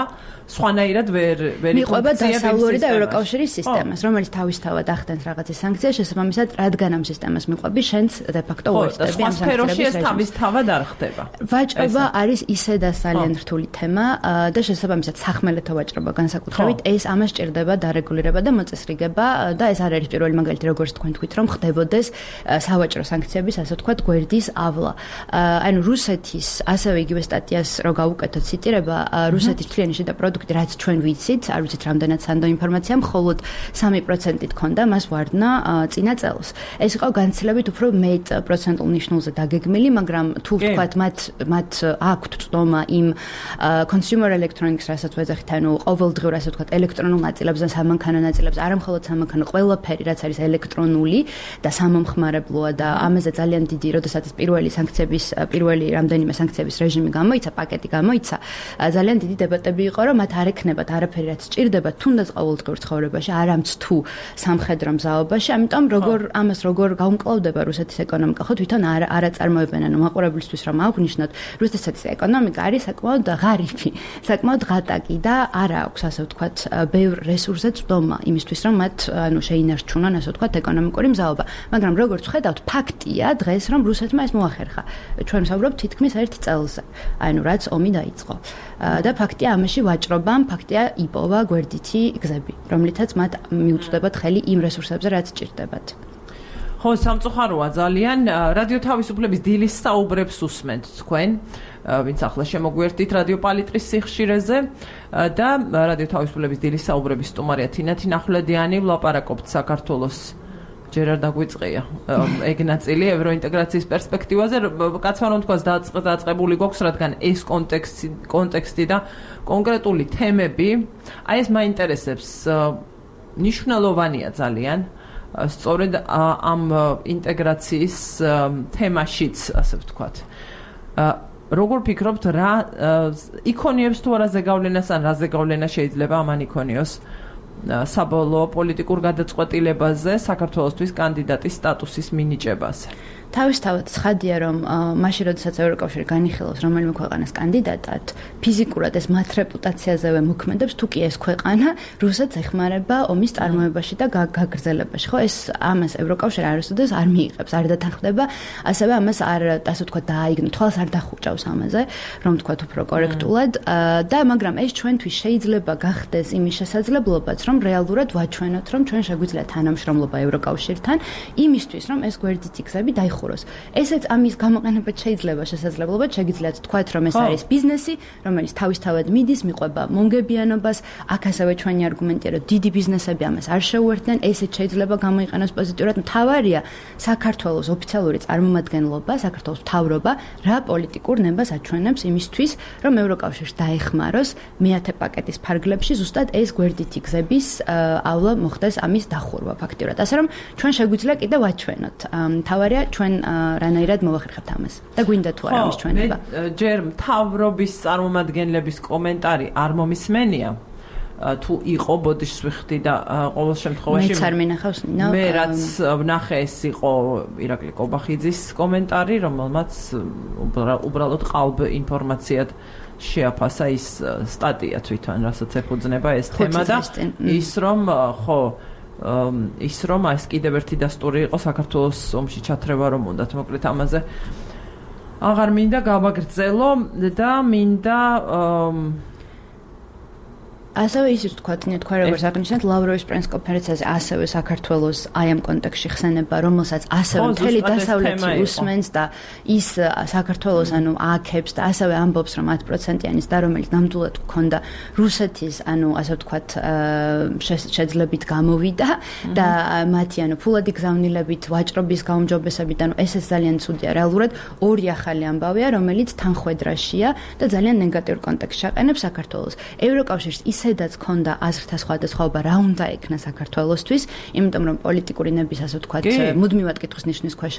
სხვანაირად ვერ მიყვება დასავლური და ევროკავშირის სისტემას, რომელიც თავისთავად ახდენს რაღაცის სანქციას, შესაბამისად, რადგან ამ სისტემას მიყვები, შენც de facto უერთდები ამ სანქციების ეს თავისთავად არ ხდება. ვაჭრობა არის ისედაც ძალიან რთული თემა და შესაბამისად სახმელეთო ვაჭრობა განსაკუთრებით ეს ამას ჭირდება დარეგულირება და მოწესრიგება და ეს არ არის პირველი მაგალითი, როგორც თქვენ თქვით, რომ ხდებოდეს სავაჭრო სანქციების, ასე ვთქვათ, გვერდის ავლა. ანუ რუსეთის ასევე იგივე სტატიას რო გავუკეთოთ ციტირება, რუსეთის თლიანი შიდა პროდუქტი, რაც ჩვენ ვიცით, არ ვიცით რამდენად სანდო ინფორმაცია, მხოლოდ 3%-ით ქონდა მას ვარდნა წინა წელს. ეს იყო განცილებით უფრო მეტ პროცენტულ ნიშნულზე დაგეგმილი, მაგრამ თუ ვთქვათ, მათ აქვთ წდომა იმ consumer electronics, რასაც ვეძახით, ანუ ყოველდღიურ, ასე ვთქვათ, ელექტრონულ ნაწილებს და სამანქანო ნაწილებს, არა მხოლოდ სამანქანო, ყველაფერი, რაც არის ელექტრონული და სამომხმარებლოა და ამაზე ძალიან დიდი, როდესაც პირველი რამდენიმე სანქციების რეჟიმი გამოიცა, პაკეტი გამოიცა, ძალიან დიდი დებატები იყო, რომ მათ არ ექნებათ არაფერი, რაც სჭირდება თუნდაც ყოველდღიურ ცხოვრებაში, არამც თუ სამხედრო მზაობაში, ამიტომ როგორ გაუმკლავდება რუსეთის ეკონომიკა, ხო თვითონ არ აწარმოებენ, ანუ მაყურებლისთვის რომ აღვნიშნოთ, რუსეთის ეკონომიკა არის საკმაოდ ღარიბი, საკმაოდ ღატაკი და არ აქვს, ასე ვთქვათ, ბევრ რესურსზე წვდომა იმისთვის, რომ მათ ანუ შეინარჩუნონ, ასე ვთქვათ, ეკონომიკური მზაობა. მაგრამ როგორც ხედავთ, ფაქტია დღეს, რომ რუსეთმა ეს მოახერხა. ჩვენ ვსაუბრობთ თითქმის 1 წელზე, ანუ რაც ომი დაიწყო. და ფაქტია ამაში ვაჭრობამ, ფაქტია იპოვა გვერდითი გზები, რომლითაც მათ მიუწვდებათ ხელი იმ რესურსებზე, რაც სჭირდებათ. ხო, სამწუხაროა ძალიან. რადიო თავისუფლების დილის საუბრებს უსმენთ თქვენ, ვინც ახლა შემოგვიერთდით რადიო პალიტრის სიხშირეზე და რადიო თავისუფლების დილის საუბრების სტუმარია თინათი ნახვლედიანი, ვლაპარაკობთ საქართველოს ჯერ არ დაგვიწყია ეგ ნაწილი ევროინტეგრაციის პერსპექტივაზე, კაცმა რომ თქვას დაწყებული გვაქვს, რადგან ეს კონტექსტი და კონკრეტული თემები, აი ეს მაინტერესებს, მნიშვნელოვანია ძალიან. სწორედ ამ ინტეგრაციის თემაშიც, ასე ვთქვათ. როგორ ფიქრობთ, რა იქონიებს თუ არა ზეგავლენას, ან რა ზეგავლენა შეიძლება ამან იქონიოს საბოლოო პოლიტიკურ გადაწყვეტილებაზე საქართველოსთვის კანდიდატის სტატუსის მინიჭებაზე? თავისთავად ცხადია, რომ მაშინ როდესაც ევროკავშირი განიხილავს რომელიმე ქვეყანას კანდიდატად, ფიზიკურად ეს მათ რეპუტაციაზევე მოქმედებს, თუ კი ეს ქვეყანა რუსეთს ეხმარება ომის წარმოებაში და გაგრძელებაში. ხო, ეს ამას ევროკავშირი არასოდეს არ მიიღებს, არ დათანხმდება, ასევე ამას არ, ასე ვთქვათ, დააიგნო, თვალს არ დახუჭავს ამაზე, რომ ვთქვათ უფრო კორექტულად და მაგრამ ეს ჩვენთვის შეიძლება გახდეს იმის შესაძლებლობაც, რომ რეალურად ვაჩვენოთ, რომ ჩვენ შეგვიძლია თანამშრომლობა ევროკავშირთან, იმისთვის, რომ ეს გვერდითი გზები დაიხუროს. ესეც ამის გამოყენებაც შეიძლება შესაძლებლობად, შეგიძლიათ თქვათ, რომ ეს არის ბიზნესი, რომელიც თავისთავად მიდის, მიყვება მონგებიანობას, აქ ასევე ჩვენი არგუმენტია, რომ დიდი ბიზნესები ამას არ შეუერთდნენ, ესეც შეიძლება გამოიყენოს პოზიტიურად. მთავარია საქართველოს ოფიციალური წარმომადგენლობა, საქართველოს მთავრობა რა პოლიტიკურ ნებას აჩვენებს იმისთვის, რომ ევროკავშირს დაეხმაროს მეათე პაკეტის ფარგლებში ზუსტად ეს გვერდითი გზების ავლა მოხდეს ამის დახურვა ფაქტიურად. ასე რომ ჩვენ შეგვიძლია კიდე ვაჩვენოთ. მთავარია ჩვენ რანაირად მოვახერხებთ ამას და გვინდა თუ არა ამის ჩვენება. ჯერ მთავრობის წარმომადგენლების კომენტარი არ მომისმენია. თუ იყო ბოდიშს ვიხდი და ყოველ შემთხვევაში მეც არ მინახავს ნინო. მე რაც ვნახე ეს იყო ირაკლი კობახიძის კომენტარი, რომელმაც უბრალოდ ყალბ ინფორმაციად შეაფასა ის სტატია თვითონ, რასაც ეფუძნება ეს თემა და ის რომ ეს კიდევ ერთი დასტური იყო საქართველოს ომში ჩათრევა რომ უნდათ, მოკლედ ამაზე აღარ მინდა გავაგრძელო და მინდა ასევე ისიც თქვათ, თქვენ როგორც აღნიშნეთ, ლავროვის პრესკონფერენციაზე ასევე საქართველოს აი ამ კონტექსტში ხსენება, რომელსაც ასევე მთელი დასავლეთი უსმენს და ის საქართველოს ანუ ააქებს და ასევე ამბობს, რომ 10%-იანის და რომელიც ნამდვილად გქონდა რუსეთის, ანუ ასე ვთქვათ, შეძლებით გამოვიდა და მათი ანუ ფულადი გზავნილებით, ვაჭრობის გაუმჯობესებით, ანუ ესეც ძალიან ცუდია. რეალურად ორი ახალი ამბავია, რომელიც თანხვედრაშია და ძალიან ნეგატიურ კონტექსტში აყენებს საქართველოს. ევროკავშირს ისედაც ქონდა აზრთა სხვადასხვაობა რა უნდა ექნა საქართველოსთვის, იმიტომ რომ პოლიტიკური ნების ასე ვთქვათ, მუდმივად კითხვის ნიშნის ქვეშ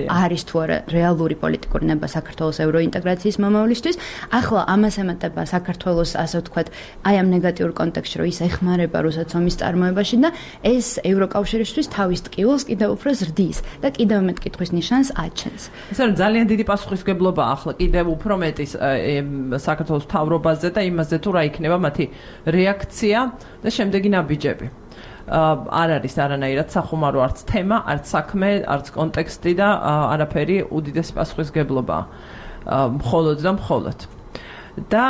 არის თუ არა რეალური პოლიტიკური ნება საქართველოს ევროინტეგრაციის მომავლისთვის. ახლა ამას ემატება საქართველოს ასე ვთქვათ, აი ამ ნეგატიურ კონტექსტში, რომ ის ეხმარება რუსეთს ომის წარმოებაში და ეს ევროკავშირისთვის თავის ტკივილს კიდევ უფრო ზრდის და კიდევ მეტ კითხვის ნიშანს აჩენს. ესე რომ ძალიან დიდი პასუხისმგებლობა ახლა კიდევ უფრო მეტის საქართველოს მთავრობაზე და იმაზე თუ რა იქნება მათი რეაქცია და შემდეგი ნაბიჯები. არ არის არანაირად სახუმარო არც თემა, არც საქმე, არც კონტექსტი და არაფერი უდიდესი პასუხისმგებლობა მხოლოდ და მხოლოდ. და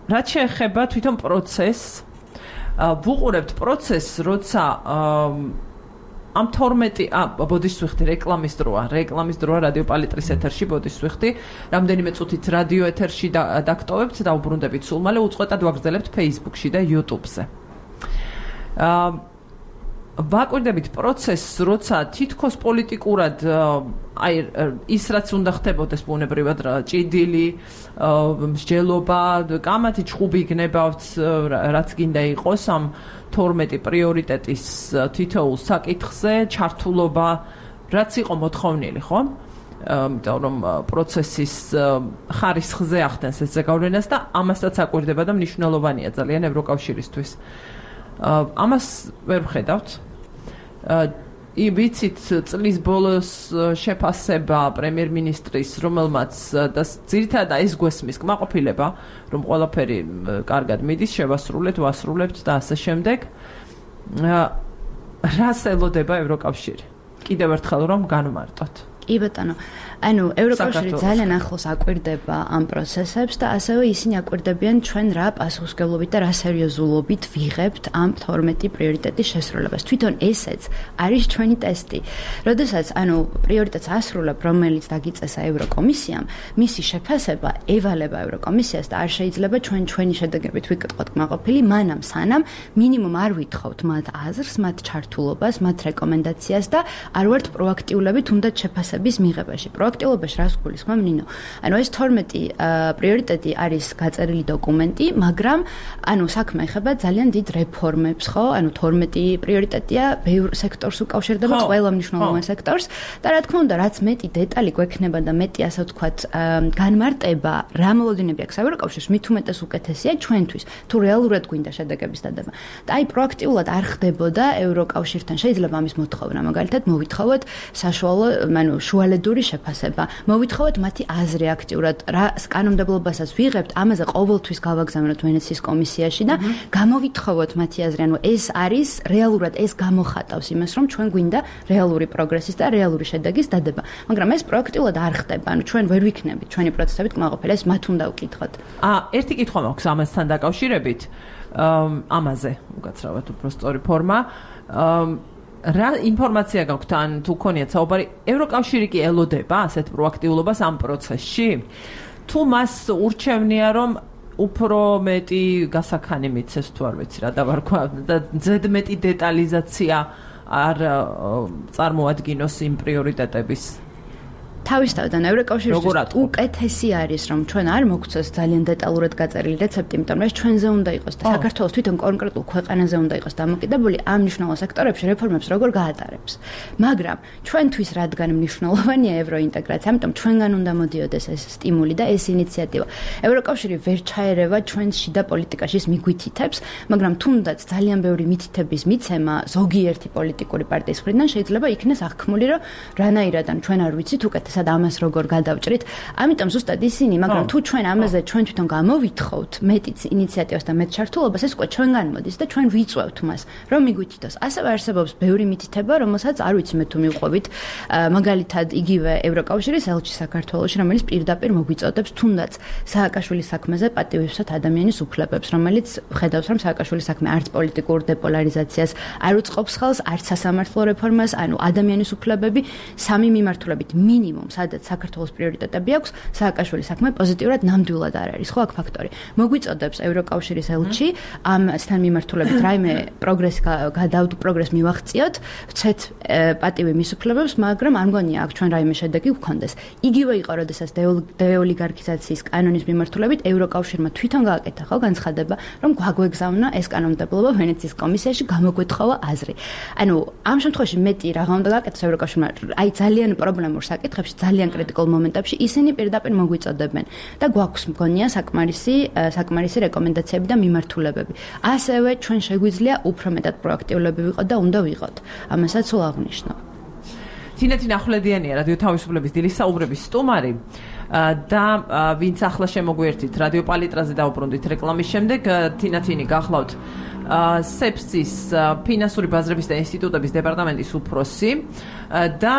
რაც შეეხება თვითონ პროცესს, ვუყურებთ პროცესს, როცა ამ 12 ბოდიშს ვიხდი რეკლამის დროა რადიო პალიტრის ეთერში ბოდიშს ვიხდი, რამდენიმე წუთით რადიო ეთერში დაგტოვებთ და უბრუნდებით სულ მალე უწყვეტად ვაგრძელებთ Facebook-ში და YouTube-ზე. ვაკვირდებით პროცესს, როცა თითქოს პოლიტიკურად აი ის რაც უნდა ხდებოდეს ბუნებრივად ჭიდილი, მსჯელობა, კამათი ჩხუბი გნებავთ, რაც გინდა იყოს ამ 12 პრიორიტეტის თითოეულ საკითხზე, ჩართულობა, რაც იყო მოთხოვნილი, ხო? იმიტომ რომ პროცესის ხარისხზე ახდენს ეს ზეგავლენას და ამასაც აკვირდება და მნიშვნელოვანია ძალიან ევროკავშირისთვის. ამას ვერ ვხედავთ. ვიცით წლის ბოლოს შეფასება პრემიერ-მინისტრის, რომელმაც და ძირითადად ეს გვესმის კმაყოფილება, რომ ყველაფერი კარგად მიდის, შევასრულებთ, ვასრულებთ და ასე შემდეგ. რას ელოდება ევროკავშირი? კიდევ ერთხელ რომ განმარტოთ. კი ბატონო, ანუ ევროკავშირი ძალიან ახლოს აკვირდება ამ პროცესებს და ასევე ისინი აკვირდებიან ჩვენ რა პასუხისმგებლობით და რა სერიოზულობით ვიღებთ ამ 12 პრიორიტეტის შესრულებას. თვითონ ესეც არის ჩვენი ტესტი. როდესაც ანუ პრიორიტეტს ასრულებ, რომელიც დაგიწესა ევროკომისიამ, მისი შეფასება ევალება ევროკომისიას და არ შეიძლება ჩვენი შედეგებით ვიკითხოთ კმაყოფილი, მანამ სანამ მინიმუმ არ ვითხოვთ მათ აზრს, მათ ჩართულობას, მათ რეკომენდაციას და არ ვართ პროაქტიულები თუნდაც შეფასების მიღებაში. პროაქტიულობაში რას გულისხმობ ნინო? ანუ ეს 12 პრიორიტეტი არის გაწერილი დოკუმენტი, მაგრამ ანუ საქმე ეხება ძალიან დიდ რეფორმებს, ხო? ანუ 12 პრიორიტეტია, ბევრ სექტორს უკავშირდება, ყველა მნიშვნელოვან სექტორს და რა თქმა უნდა, რაც მეტი დეტალი გვექნება და მეტი ასე ვთქვათ, განმარტება, რა მოლოდინები აქვს ევროკავშირს, მით უმეტეს უკეთესია ჩვენთვის, თუ რეალურად გვინდა შედეგების დადება. და აი პროაქტიულად არ ხდებოდა ევროკავშირთან. შეიძლება ამის მოთხოვნა, მაგალითად, მოვითხოვოთ საშუალო, ანუ შუალედური შეფასება. მოვითხოვოთ მათი აზრი აქტიურად, რა კანონმდებლობასაც ვიღებთ, ამაზე ყოველთვის გავაგზავნოთ ვენეციის კომისიაში და გამოვითხოვოთ მათი აზრი. ანუ ეს არის რეალურად ეს გამოხატავს იმას, რომ ჩვენ გვინდა რეალური პროგრესის და რეალური შედეგის დადება. მაგრამ ეს პროაქტიულად არ ხდება. ანუ ჩვენ ვერ ვიქნებით ჩვენი პროცესებით კმაყოფილი, ეს მათ უნდა უკითხოთ. ერთი კითხვა მაქვს ამასთან დაკავშირებით, ამაზე, უკაცრავად უფრო სწორი ფორმა. რა ინფორმაცია გაქვთ ან თუ გქონიათ საუბარი, ევროკავშირი კი ელოდება ასეთ პროაქტიულობას ამ პროცესში? თუ მას ურჩევნია რომ უფრო მეტი გასაქანი მიცეს თუ არ ვიცი რა დავარქვა და ზედმეტი დეტალიზაცია არ წარმოადგინოს იმ პრიორიტეტების? თავისთავად ევროკავშირისთვის უკეთესი არის, რომ ჩვენ არ მოგვცეს ძალიან დეტალურად გაწერილი რეცეპტი, იმიტომ რომ ეს ჩვენზე უნდა იყოს და საქართველოს თვითონ კონკრეტულ ქვეყანაზე უნდა იყოს დამოკიდებული ამ მნიშვნელოვან სექტორებში რეფორმებს როგორ გაატარებს. მაგრამ ჩვენთვის რადგან მნიშვნელოვანია ევროინტეგრაცია, ამიტომ ჩვენგან უნდა მოდიოდეს ეს სტიმული და ეს ინიციატივა. ევროკავშირი ვერ ჩაერევა ჩვენს შიდა პოლიტიკაში მიგვითითებს, მაგრამ თუნდაც ძალიან ბევრი მითითების მიცემა ზოგიერთი პოლიტიკური პარტიის მხრიდან შეიძლება იქნეს აღქმული, რომ რანაირად ან ჩვენ არ ვიცით უკეთესად ამას როგორ გადავჭრით. ამიტომ ზუსტად ისინი, მაგრამ თუ ჩვენ ამაზე ჩვენ თვითონ გამოვითხოვთ მეტიც ინიციატივას და მეტ ჩართულობას, ეს უკვე ჩვენგან მოდის და ჩვენ ვიწვევთ მას, რომ მიგვითითოს. ასევე არსებობს ბევრი მითითება, რომელსაც არ ვიცი მე თუ მივყვებით, მაგალითად იგივე ევროკავშირის ელჩი საქართველოში, რომელიც პირდაპირ მოგვიწოდებს თუნდაც სააკაშვილის საქმეზე პატივისცემ ადამიანის უფლებებს, რომელიც ხედავს, რომ სააკაშვილის საქმე არც პოლიტიკურ დეპოლარიზაციას არ უწყობს ხელს, არც სასამართლო რეფორმას, ანუ ადამიანის უფლებები სამი მიმართულებით მინიმუმ მინიმუმ, სადაც საქართველოს პრიორიტეტები აქვს, სააკაშვილის საქმე პოზიტიურად ნამდვილად არ არის, ხო, აქ ფაქტორი. მოგვიწოდებს ევროკავშირის ელჩი ამასთან მიმართულებით რაიმე პროგრესს მივაღწიოთ, ვცეთ პატივი მის უფლებებს, მაგრამ არ მგონია აქ ჩვენ რაიმე შედეგი გვქონდეს. იგივე იყო, როდესაც დეოლიგარქიზაციის კანონის მიმართულებით ევროკავშირმა თვითონ გააკეთა, ხო, განცხადება, რომ გვაგვეგზავნა ეს კანონმდებლობა ვენეციის კომისიაში, გამოგვეთხოვა აზრი. ანუ ამ შემთხვევაში მეტი რაღა უნდა გააკეთოს ევროკავშირმა, აი ძალიან პრობლემურ საკითხებში, ძალიან კრიტიკულ მომენტებში ისინი პირდაპირ მოგვიწოდებენ და გვაქვს მგონია საკმარისი რეკომენდაციები და მიმართულებები. ასევე ჩვენ შეგვიძლია უფრო მეტად პროაქტიულები ვიყოთ და უნდა ვიყოთ. ამასაც სულ აღნიშნავ. თინათი ნახვლედიანია რადიო თავისუფლების დილის საუბრების სტუმარი და ვინც ახლა შემოგვიერთით რადიო პალიტრაზე დავუბრუნდით რეკლამის შემდეგ თინათინი გახლავთ სეფსის ფინანსური ბაზრების და ინსტიტუტების დეპარტამენტის უფროსი და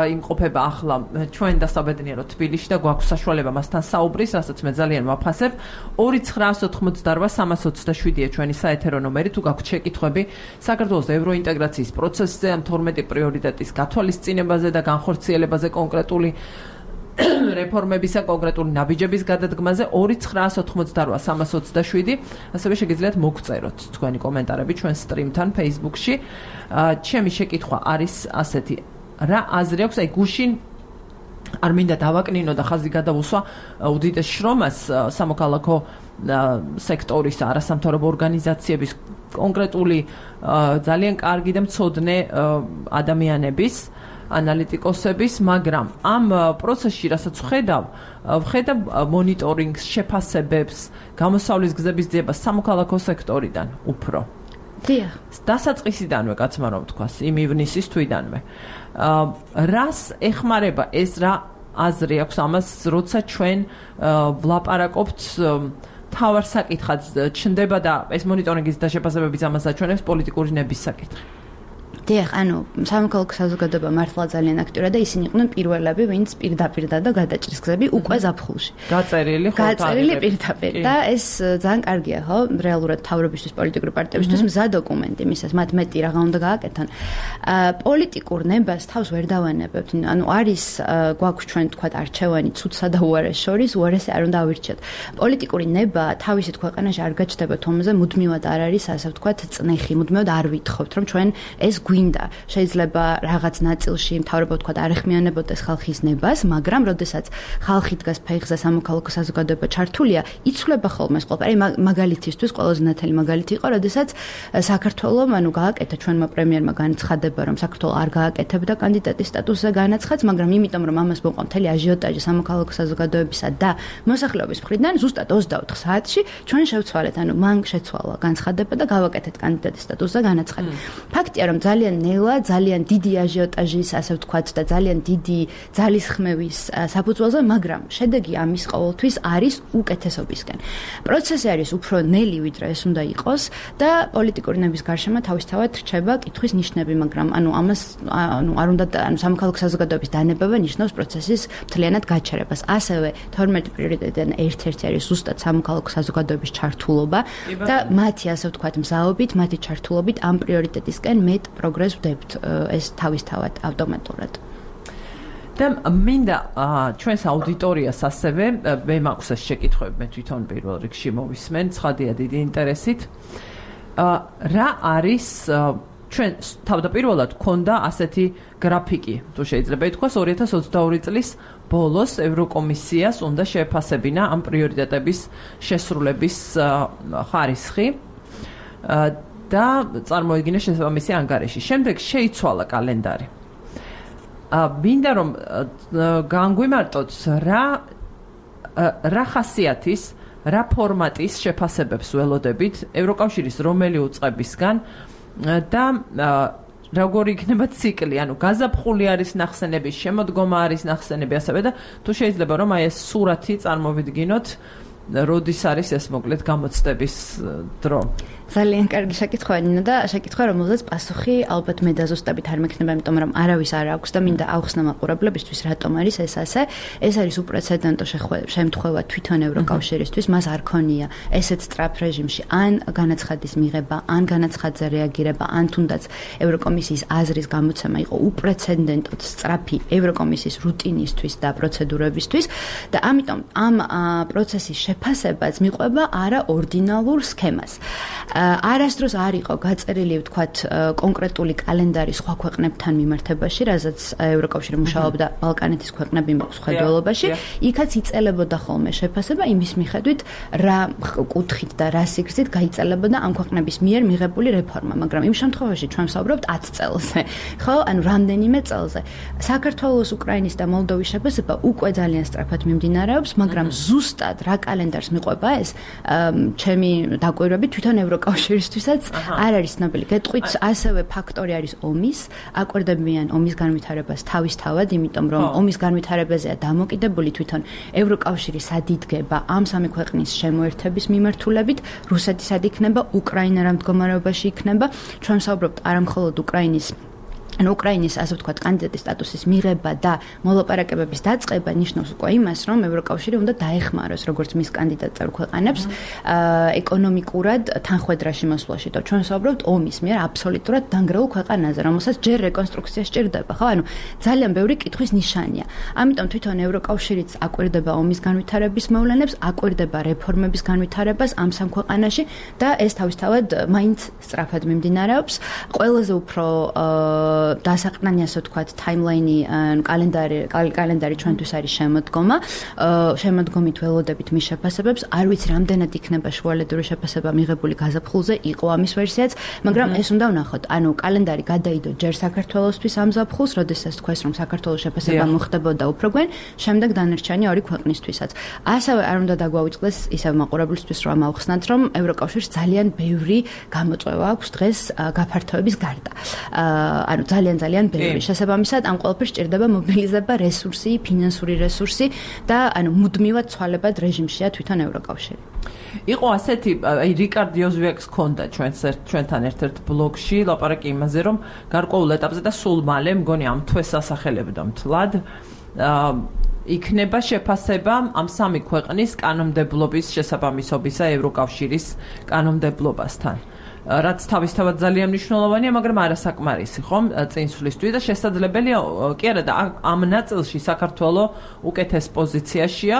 იმყოფება ახლა ჩვენ დასაბედნიერო თბილისში და გვაქვს საშუალება მასთან საუბრის, რასაც მე ძალიან ვაფასებ. 2988327-ია ჩვენი საეთერო ნომერი, თუ გაქვთ შეკითხვები საქართველოს ევროინტეგრაციის პროცესზე, ამ 12 პრიორიტეტის გათვალისწინებაზე და განხორციელებაზე კონკრეტული რეფორმებისა კონკრეტული ნაბიჯების გადადგმაზე 2988327 ასევე შეგიძლიათ მოგწეროთ თქვენი კომენტარები ჩვენ სტრიმთან Facebook-ში. ჩემი შეკითხვა არის ასეთი: რა აზრი აქვს აი გუშინ არ მინდა დავაკნინო და ხაზი გადავუსვა უდიდეს შრომას სამოქალაქო სექტორის არასამთავრობო ორგანიზაციების კონკრეტული ძალიან კარგი და მცოდნე ადამიანების ანალიტიკოსების, მაგრამ ამ პროცესში, რასაც ვხედავ მონიტორინგს, შეფასებებს, გამოსავლის გზების ძიებას სამოქალაქო სექტორიდან უფრო. დიახ. დასაწყისიდანვე, კაცმა რომ თქვას, იმ ივნისის თვიდანვე. რას ეხმარება ეს რა აზრი აქვს ამას, როცა ჩვენ ვლაპარაკობთ თავარ საკითხად ჩნდება და ეს მონიტორინგის და შეფასებების ამას აჩვენებს პოლიტიკური ნების საკითხი. დიახ, ანუ სამოქალაქო საზოგადოება მართლა ძალიან აქტიურია და ისინი იყვნენ პირველები, ვინც პირდაპირ და გადაჭრის გზები უკვე ზაფხულში. გაწერილი პირდაპირ და ეს ძალიან კარგია, ხო? რეალურად თავრობისთვის, პოლიტიკური პარტიებისთვის მზა დოკუმენტი, მისას მათ მეტი რაღა უნდა გააკეთონ. პოლიტიკურ ნებას თავს ვერ დავანებებთ. ანუ არის გვაქვს ჩვენ თქვა არჩევანი ცუდსა და უარეს შორის, უარესი არ უნდა ავირჩიოთ. პოლიტიკური ნება თავისით ქვეყანაში არ გაჩნდება თომაზე, მუდმივად არ არის, ასე ვთქვათ, წნეხი, მუდმივად არ ვითხოვთ, რომ ჩვენ ეს გვინდა. შეიძლება რაღაც ნაწილში მთავრობა თქვა არ ეხმიანებოდეს ხალხის ნებას, მაგრამ როდესაც ხალხი დგას ფეხზე სამოქალაქო საზოგადოება ჩართულია, იცვლება ხოლმე ეს ყველაფერი. მაგალითისთვის ყველაზე ნათელი მაგალითი იყო, როდესაც საქართველოს გააკეთა ჩვენმა პრემიერმა განცხადება, რომ საქართველოს არ გააკეთებდა კანდიდატის სტატუსზე განაცხადს, მაგრამ იმიტომ რომ ამას მოყვა მთელი აჟიოტაჟი სამოქალაქო საზოგადოებისა და მოსახლეობის მხრიდან, ზუსტად 24 საათში ჩვენ შევცვალეთ, მან შეცვალა განცხადება და გავაკეთეთ კანდიდატის სტატუსზე განაცხადი. ფაქტია, რომ ძალიან ნელა, ძალიან დიდი აჟიოტაჟის, ასე ვთქვათ, და ძალიან დიდი ძალისხმევის საფუძველზე, მაგრამ შედეგი ამის ყოველთვის არის უკეთესობისკენ. პროცესი არის უფრო ნელი, ვიდრე ეს უნდა იყოს და პოლიტიკური ნების გარშემო თავისთავად რჩება კითხვის ნიშნები, მაგრამ ამას არ უნდა სამოქალაქო საზოგადოების დანებება ნიშნავს პროცესის მთლიანად გაჩერებას. ასევე 12 პრიორიტეტიდან ერთ-ერთი არის ზუსტად სამოქალაქო საზოგადოების ჩართულობა და მათი, ასე ვთქვათ, მზაობით, მათი ჩართულობით ამ პრიორიტეტისკენ მეტ პროგრესს ვდებთ ეს თავისთავად ავტომატურად. და მინდა ჩვენს აუდიტორიას ასევე მე მაქვს ეს შეკითხვები, მე თვითონ პირველ რიგში მოვისმენ, ცხადია დიდი ინტერესით. რა არის ჩვენ თავდაპირველად გქონდა ასეთი გრაფიკი, თუ შეიძლება ითქვას 2022 წლის ბოლოს ევროკომისიას უნდა შეეფასებინა ამ პრიორიტეტების შესრულების ხარისხი და წარმოიდგინა შესაბამისი ანგარიში. შემდეგ შეიცვალა კალენდარი. მინდა რომ განგვიმარტოთ რა ხასიათის, რა ფორმატის შეფასებებს ველოდებით ევროკავშირის რომელი უწყებისგან და როგორი იქნება ციკლი, გაზაფხული არის ნახსენები, შემოდგომა არის ნახსენები, ასევე და თუ შეიძლება რომ ეს სურათი წარმოვიდგინოთ, როდის არის ეს მოკლედ გამოცდების დრო. ძალიან კარგი შეკითხვა ნინა და შეკითხვა რომელზეც პასუხი ალბათ მე დაზუსტებით არ მექნება, იმიტომ რომ არავის არ აქვს და მინდა ავხსნა მაყურებლებისთვის რატომ არის ეს ასე. ეს არის უპრეცედენტო შემთხვევა თვითონ ევროკავშირისთვის, მას არ ქონია ესეთ სწრაფ რეჟიმში ან განაცხადის მიღება, ან განაცხადზე რეაგირება, ან თუნდაც ევროკომისიის აზრის გამოცემა იყო უპრეცედენტოდ სწრაფი ევროკომისიის რუტინისთვის და პროცედურებისთვის და ამიტომ ამ პროცესის შეფასებაც მიყვება არაორდინალურ სქემას. არასდროს არ იყო გაწერილი, ვთქვათ, კონკრეტული კალენდარი სხვა ქვეყნებთან მიმართებაში, რაზეც ევროკავშირი მუშაობდა ბალკანეთის ქვეყნები მხედველობაში, იქაც იწელებოდა ხოლმე შეფასება იმის მიხედვით, რა კუთხით და რა სიგრძით გაიწელებოდა ამ ქვეყნების მიერ მიღებული რეფორმა, მაგრამ იმ შემთხვევაში ჩვენ ვსაუბრობთ 10 წელზე, ხო? ანუ რამდენიმე წელზე. საქართველოს, უკრაინის და მოლდოვის შეფასება უკვე ძალიან სწრაფად მიმდინარეობს, მაგრამ ზუსტად რა კალენდარს მიყვება ეს, ჩემი დაკვირვებით თვითონ ევროკავშირისთვისაც არ არის ცნობილი. გეტყვით, ასევე ფაქტორი არის ომის, აკვირდებიან ომის განვითარებას თავისთავად, იმიტომ რომ ომის განვითარებაზეა დამოკიდებული თვითონ ევროკავშირი სად იდგება ამ სამი ქვეყნის შემოერთების მიმართულებით, რუსეთი სად იქნება, უკრაინა რა მდგომარეობაში იქნება. ჩვენ ვსაუბრობთ არა მხოლოდ უკრაინის ასე ვთქვათ კანდიდატის სტატუსის მიღება და მოლაპარაკებების დაწყება ნიშნავს უკვე იმას, რომ ევროკავშირი უნდა დაეხმაროს როგორც მის კანდიდატ წევრ ქვეყანებს ეკონომიკურად თანხვედრაში მოსვლაში. და ჩვენ ვსაუბრობთ ომის მიერ აბსოლუტურად დანგრეულ ქვეყანაზე, რომელსაც ჯერ რეკონსტრუქცია სჭირდება, ხო? ანუ ძალიან ბევრი კითხვის ნიშანია. ამიტომ თვითონ ევროკავშირიც აკვირდება ომის განვითარების მოვლენებს, აკვირდება რეფორმების განვითარებას ამ სამ ქვეყანაში და ეს თავისთავად მაინც სწრაფად მიმდინარეობს. ყველაზე უფრო დასაყრდანი ასე ვთქვათ ტაიმლაინი კალენდარი ჩვენთვის არის შემოდგომით ველოდებით მის შეფასებებს. არ ვიცი რამდენად იქნება შუალედური შეფასება მიღებული გაზაფხულზე, იყო ამის ვერსიაც, მაგრამ ეს უნდა ვნახოთ. ანუ კალენდარი გადაიდო ჯერ საქართველოსთვის ამ ზაფხულს, როდესაც თქვეს რომ საქართველოს შეფასება მოხდებოდა უფრო გვენ, შემდეგ დანარჩენი ორი ქვეყნისთვისაც. ასევე არ უნდა დაგვაუწყდეს ისევ მაყურებლისთვის რომ ავხსნათ, რომ ევროკავშირს ძალიან ბევრი გამოწვევა აქვს დღეს გაფართოების გარდა. ანუ ძალიან ბევრი. შესაბამისად, ამ ყველაფერს სჭირდება მობილიზება რესურსი, ფინანსური რესურსი და ანუ მუდმივად ცვალებად რეჟიმშია თვითონ ევროკავშირი. იყო ასეთი, აი რიკარდ იოზვიაკს ქონდა ჩვენთან ერთ-ერთ ბლოგში ლაპარაკი იმაზე, რომ გარკვეულ ეტაპზე და სულ მალე მგონი ამ თვეს ასახელებდა მთლად იქნება შეფასება ამ სამი ქვეყნის კანონმდებლობის შესაბამისობისა ევროკავშირის კანონმდებლობასთან. რაც თავისთავად ძალიან მნიშვნელოვანია, მაგრამ არასაკმარისი, ხომ, წინსვლისთვის და შესაძლებელია კი არა და ამ ნაწილში საქართველოს უკეთეს პოზიციაშია.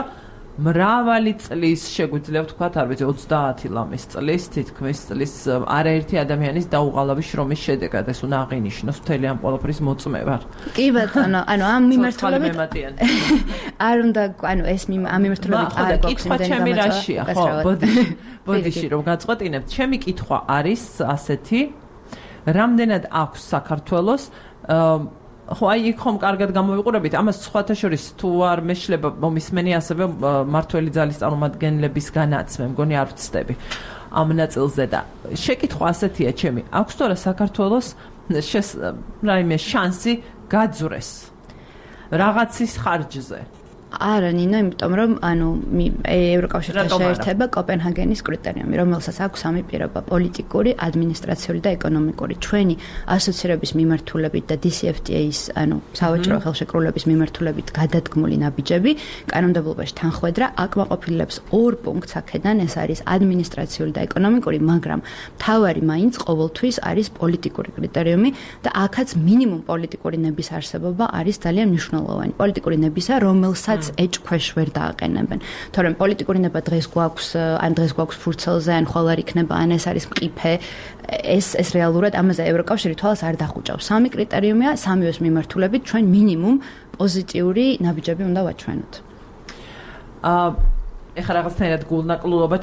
მრავალი წლის შეგვიძლია ვთქვათ, არ ვიცი 30 ლამის წლის, თითქმის წლის არაერთი ადამიანის დაუღალავი შრომის შედეგად ეს უნდა აღინიშნოს მთელი ამ ყველაფრის მოწმევა. კი ბატონო, ანუ ამ მიმართულებით არ უნდა, ანუ ეს ამ მიმართულებით არ გვაქვს იმდენი რაშია, ხო, ბოდიში რომ გაწყვეტინებთ, ჩემი კითხვა არის ასეთი, რამდენად აქვს საქართველოს ხო აი იქ ხომ კარგად გამოვიყურებით ამას სხვათა შორის თუ არ მეშლება მომისმენი ასევე მართველი ძალის წარმომადგენლების განაცმე მგონი არ ვწდები ამ ნაწილზე და შეკითხვა ასეთია ჩემი აქვს თორე საქართველოს რაიმე შანსი გაძვრეს რაღაცის ხარჯზე არა ნინო, იმიტომ რომ ანუ ევროკავშირთან შეერთება კოპენჰაგენის კრიტერიუმი, რომელსაც აქვს სამი პირობა: პოლიტიკური, ადმინისტრაციული და ეკონომიკური. ჩვენი ასოცირების მიმართულებით და DCFTA-ის, ანუ სავაჭრო ხელშეკრულების მიმართულებით გადადგმული ნაბიჯები, კანონმდებლობაში თანხვედრა აკმაყოფილებს ორ პუნქტს აქედან, ეს არის ადმინისტრაციული და ეკონომიკური, მაგრამ მთავარი მაინც ყოველთვის არის პოლიტიკური კრიტერიუმი და აქაც მინიმუმ პოლიტიკური ნების არსებობა არის ძალიან მნიშვნელოვანი. პოლიტიკური ნებისა, რომელსაც ეჭქვეშ ვერ დააყენებენ. თორემ პოლიტიკური ნება დღეს გვაქვს ფურცელზე, ან ხვალ არ იქნება, ან ეს არის მყიფე. ეს რეალურად ამაზე ევროკავშირი თვალს არ დახუჭავს. სამი კრიტერიუმია, სამივეს მიმართულებით ჩვენ მინიმუმ პოზიტიური ნაბიჯები უნდა ვაჩვენოთ. ეხლა რაღაცნაირად გულნაკლულობა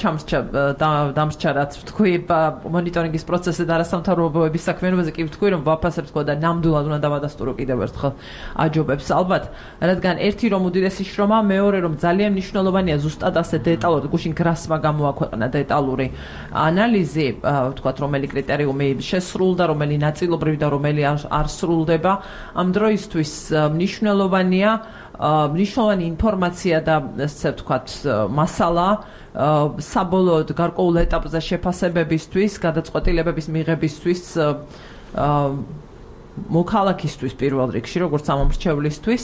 დამსჭა რაც ვთქვი მონიტორინგის პროცესზე და არასამთავრობოების საქმიანობაზე კი ვთქვი რომ ვაფასებ თქო და ნამდვილად უნდა დავადასტურო კიდევ ერთხელ აჯობებს ალბათ რადგან ერთი რომ უდიდესი შრომა მეორე რომ ძალიან მნიშვნელოვანია ზუსტად ასე დეტალურად გუშინ გრასმა გამოაქვეყნა დეტალური ანალიზი ვთქვათ რომელი კრიტერიუმი შესრულდა რომელი ნაწილობრივ და რომელი არ სრულდება ამ დროისთვის მნიშვნელოვანია მნიშვნელოვანი ინფორმაცია და ესე ვთქვათ, მასალა საბოლოოდ გარკვეულ ეტაპზე შეფასებებისთვის, გადაწყვეტილებების მიღებისთვის მოქალაქისთვის პირველ რიგში, როგორც ამომრჩევლისთვის,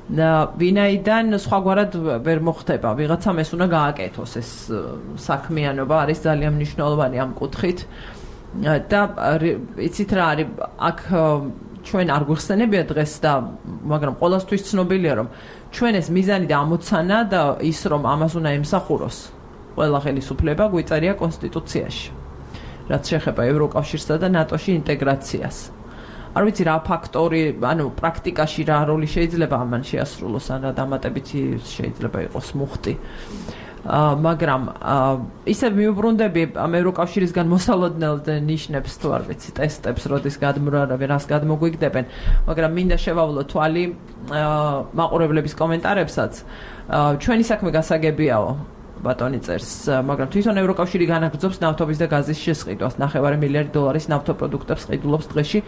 ვინაიდან სხვაგვარად ვერ მოხდება. ვიღაცამ ეს უნდა გააკეთოს, ეს საქმიანობა არის ძალიან მნიშვნელოვანი ამ კუთხით. და იცით რა არის, აქ ჩვენ არ გვიხსენებია დღეს და მაგრამ ყოველთვის ცნობილია, რომ ჩვენ ეს მიზანი და ამოცანა და ის რომ ამას უნდა ემსახუროს ყველა ხელისუფლება გვიწერია კონსტიტუციაში, რაც შეეხება ევროკავშირსა და ნატოში ინტეგრაციას. არ ვიცი რა ფაქტორი, ანუ პრაქტიკაში რა როლი შეიძლება ამან შეასრულოს, ან რა დამატებითი შეიძლება იყოს მუხტი. მაგრამ ისევ მიუბრუნდები ამ ევროკავშირისგან მოსალოდნელ ნიშნებს თუ არ ვიცი, ტესტებს, როდის გადმორავენ, რას გადმოგვიგდებენ, მაგრამ მინდა შევავლო თვალი მაყურებლების კომენტარებსაც. ჩვენი საქმე გასაგებიაო. ბატონი წერს, მაგრამ თვითონ ევროკავშირი განაგრძობს ნავთობის და გაზის შესყიდვას. 9 მილიარდი დოლარის ნავთობპროდუქტებს ყიდულობს დღეში,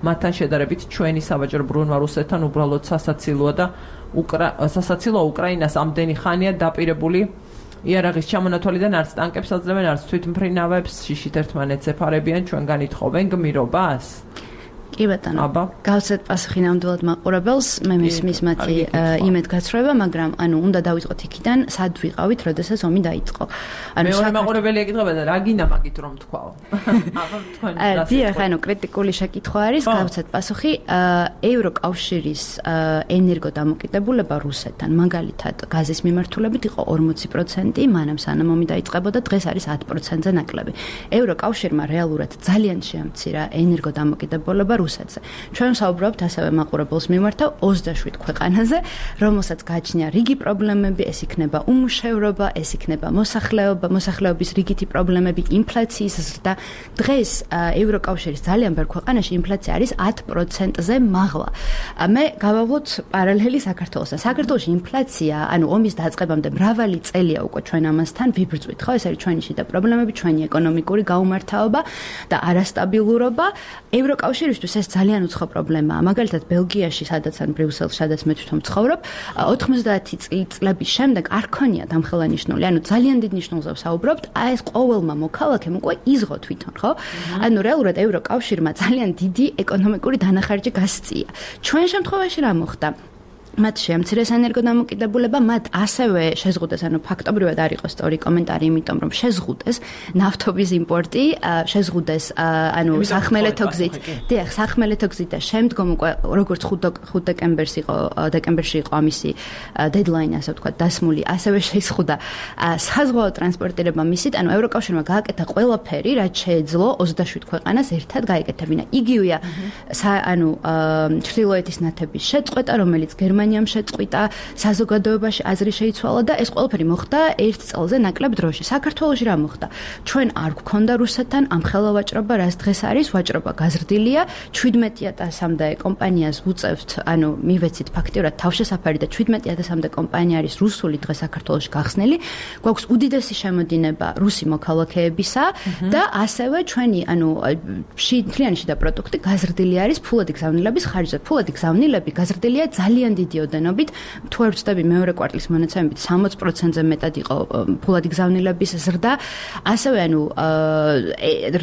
მათთან შედარებით ჩვენი საბაჟო ბრუნვა რუსეთთან უბრალოდ სასაცილოა და სასაცილო უკრაინას ამდენი ხანია დაპირებული იარაღის ჩამონათვალიდან არც ტანკებს აძლევენ, არც თვითმფრინავებს, შიშით ერთმანეთს ეფარებიან, ჩვენგან ითხოვენ გმირობას. კი ბატონო. გავცეთ პასუხი ნამდვილად მაყურებელს, მე მისმის მათი იმედგაცრუება, მაგრამ ანუ უნდა დავიწყოთ იქიდან, სად ვიყავით, როდესაც ომი დაიწყო. ანუ მეორე მაყურებელი ეკითხება და რა გინდა მაგით რომ თქვაო. აბა თქვენ რა. დიახ, ანუ კრიტიკული შეკითხვა არის, გავცეთ პასუხი, ევროკავშირის ენერგოდამოკიდებულება რუსეთთან, მაგალითად, გაზის მიმართულებით იყო 40%, მანამ სანამ ომი დაიწყებოდა, დღეს არის 10%-ზე ნაკლები. ევროკავშირმა რეალურად ძალიან შეამცირა ენერგოდამოკიდებულება რუსეთზე. ჩვენ საუბრობთ ასევე მაყურებელს მიმართავ 27 ქვეყანაზე, რომელსაც გააჩნია რიგი პრობლემები, ეს იქნება უმუშევრობა, ეს იქნება მოსახლეობა, მოსახლეობის რიგითი პრობლემები, ინფლაციის ზრდა. დღეს ევროკავშირის ძალიან ბევრ ქვეყანაში ინფლაცია არის 10%-ზე მაღლა. მე გავავლოთ პარალელი საქართველოსთან. საქართველოში ინფლაცია, ანუ ომის დაწყებამდე მრავალი წელია უკვე ჩვენ ამასთან ვიბრძვით, ხო? ეს არის ჩვენი შიდა პრობლემები, ჩვენი ეკონომიკური გაუმართავობა და არასტაბილურობა. ევროკავშირისთვის ეს ძალიან უცხო პრობლემაა. მაგალითად, ბელგიაში, სადაც ან ბრიუსელში, სადაც მე თვითონ ვცხოვრობ, 90 წლების შემდეგ არ ქონია დამხელანიშნული, ანუ ძალიან დიდ ნიშნულზე ვსაუბრობთ, ეს ყოველმა მოქალაქემ უკვე იზღო თვითონ, ხო? ანუ რეალურად ევროკავშირმა ძალიან დიდი ეკონომიკური დანახარჯი გასწია. ჩვენ შემთხვევაში რა მოხდა? მათ შეამცირეს ენერგოდამოკიდებულება, მათ ასევე შეზღუდეს, ანუ ფაქტობრივად არ იყო სწორი კომენტარი, იმიტომ რომ შეზღუდეს ნავთობის იმპორტი, შეზღუდეს, ანუ სახმელეთო გზით. დიახ, სახმელეთო გზით და შემდგომ უკვე როგორც 5 დეკემბერში იყო ამისი დედლაინი, ასე ვთქვათ, დასმული, ასევე შეზღუდა საზღვაო ტრანსპორტირება მისით, ანუ ევროკავშირმა გააკეთა ყველაფერი, რაც შეეძლო 27 ქვეყანას ერთად გაეკეთებინა. იგივეა, ანუ ჩრდილოეთის ნათების შეწყვეტა, რომელიც გერმანიამ შეწყვიტა, საზოგადოებაში აზრი შეიცვალა და ეს ყველაფერი მოხდა 1 წელზე ნაკლებ დროში. საქართველოში რა მოხდა? ჩვენ არ გვქონდა რუსეთთან ამ ხელოვაჭრობა, რაც დღეს არის, ვაჭრობა გაზრდილია, 17,000-მდე კომპანიას უწევთ, ანუ მივეცით ფაქტიურად თავშესაფარი და 17,000-მდე კომპანია არის რუსული დღეს საქართველოში გახსნილი. გვაქვს უდიდესი შემოდინება რუსი მოქალაქეებისა და ასევე ჩვენი, ანუ მთლიანი შიდა პროდუქტი გაზრდილი არის ფულადი გზავნილების ხარჯზე. ფულადი გზავნილები გაზრდილია ძალიან დიდი ოდენობით, თუ არ ვცდები მეორე კვარტლის მონაცემებით 60%-ზე მეტად იყო ფულადი გზავნილების ზრდა. ასევე ანუ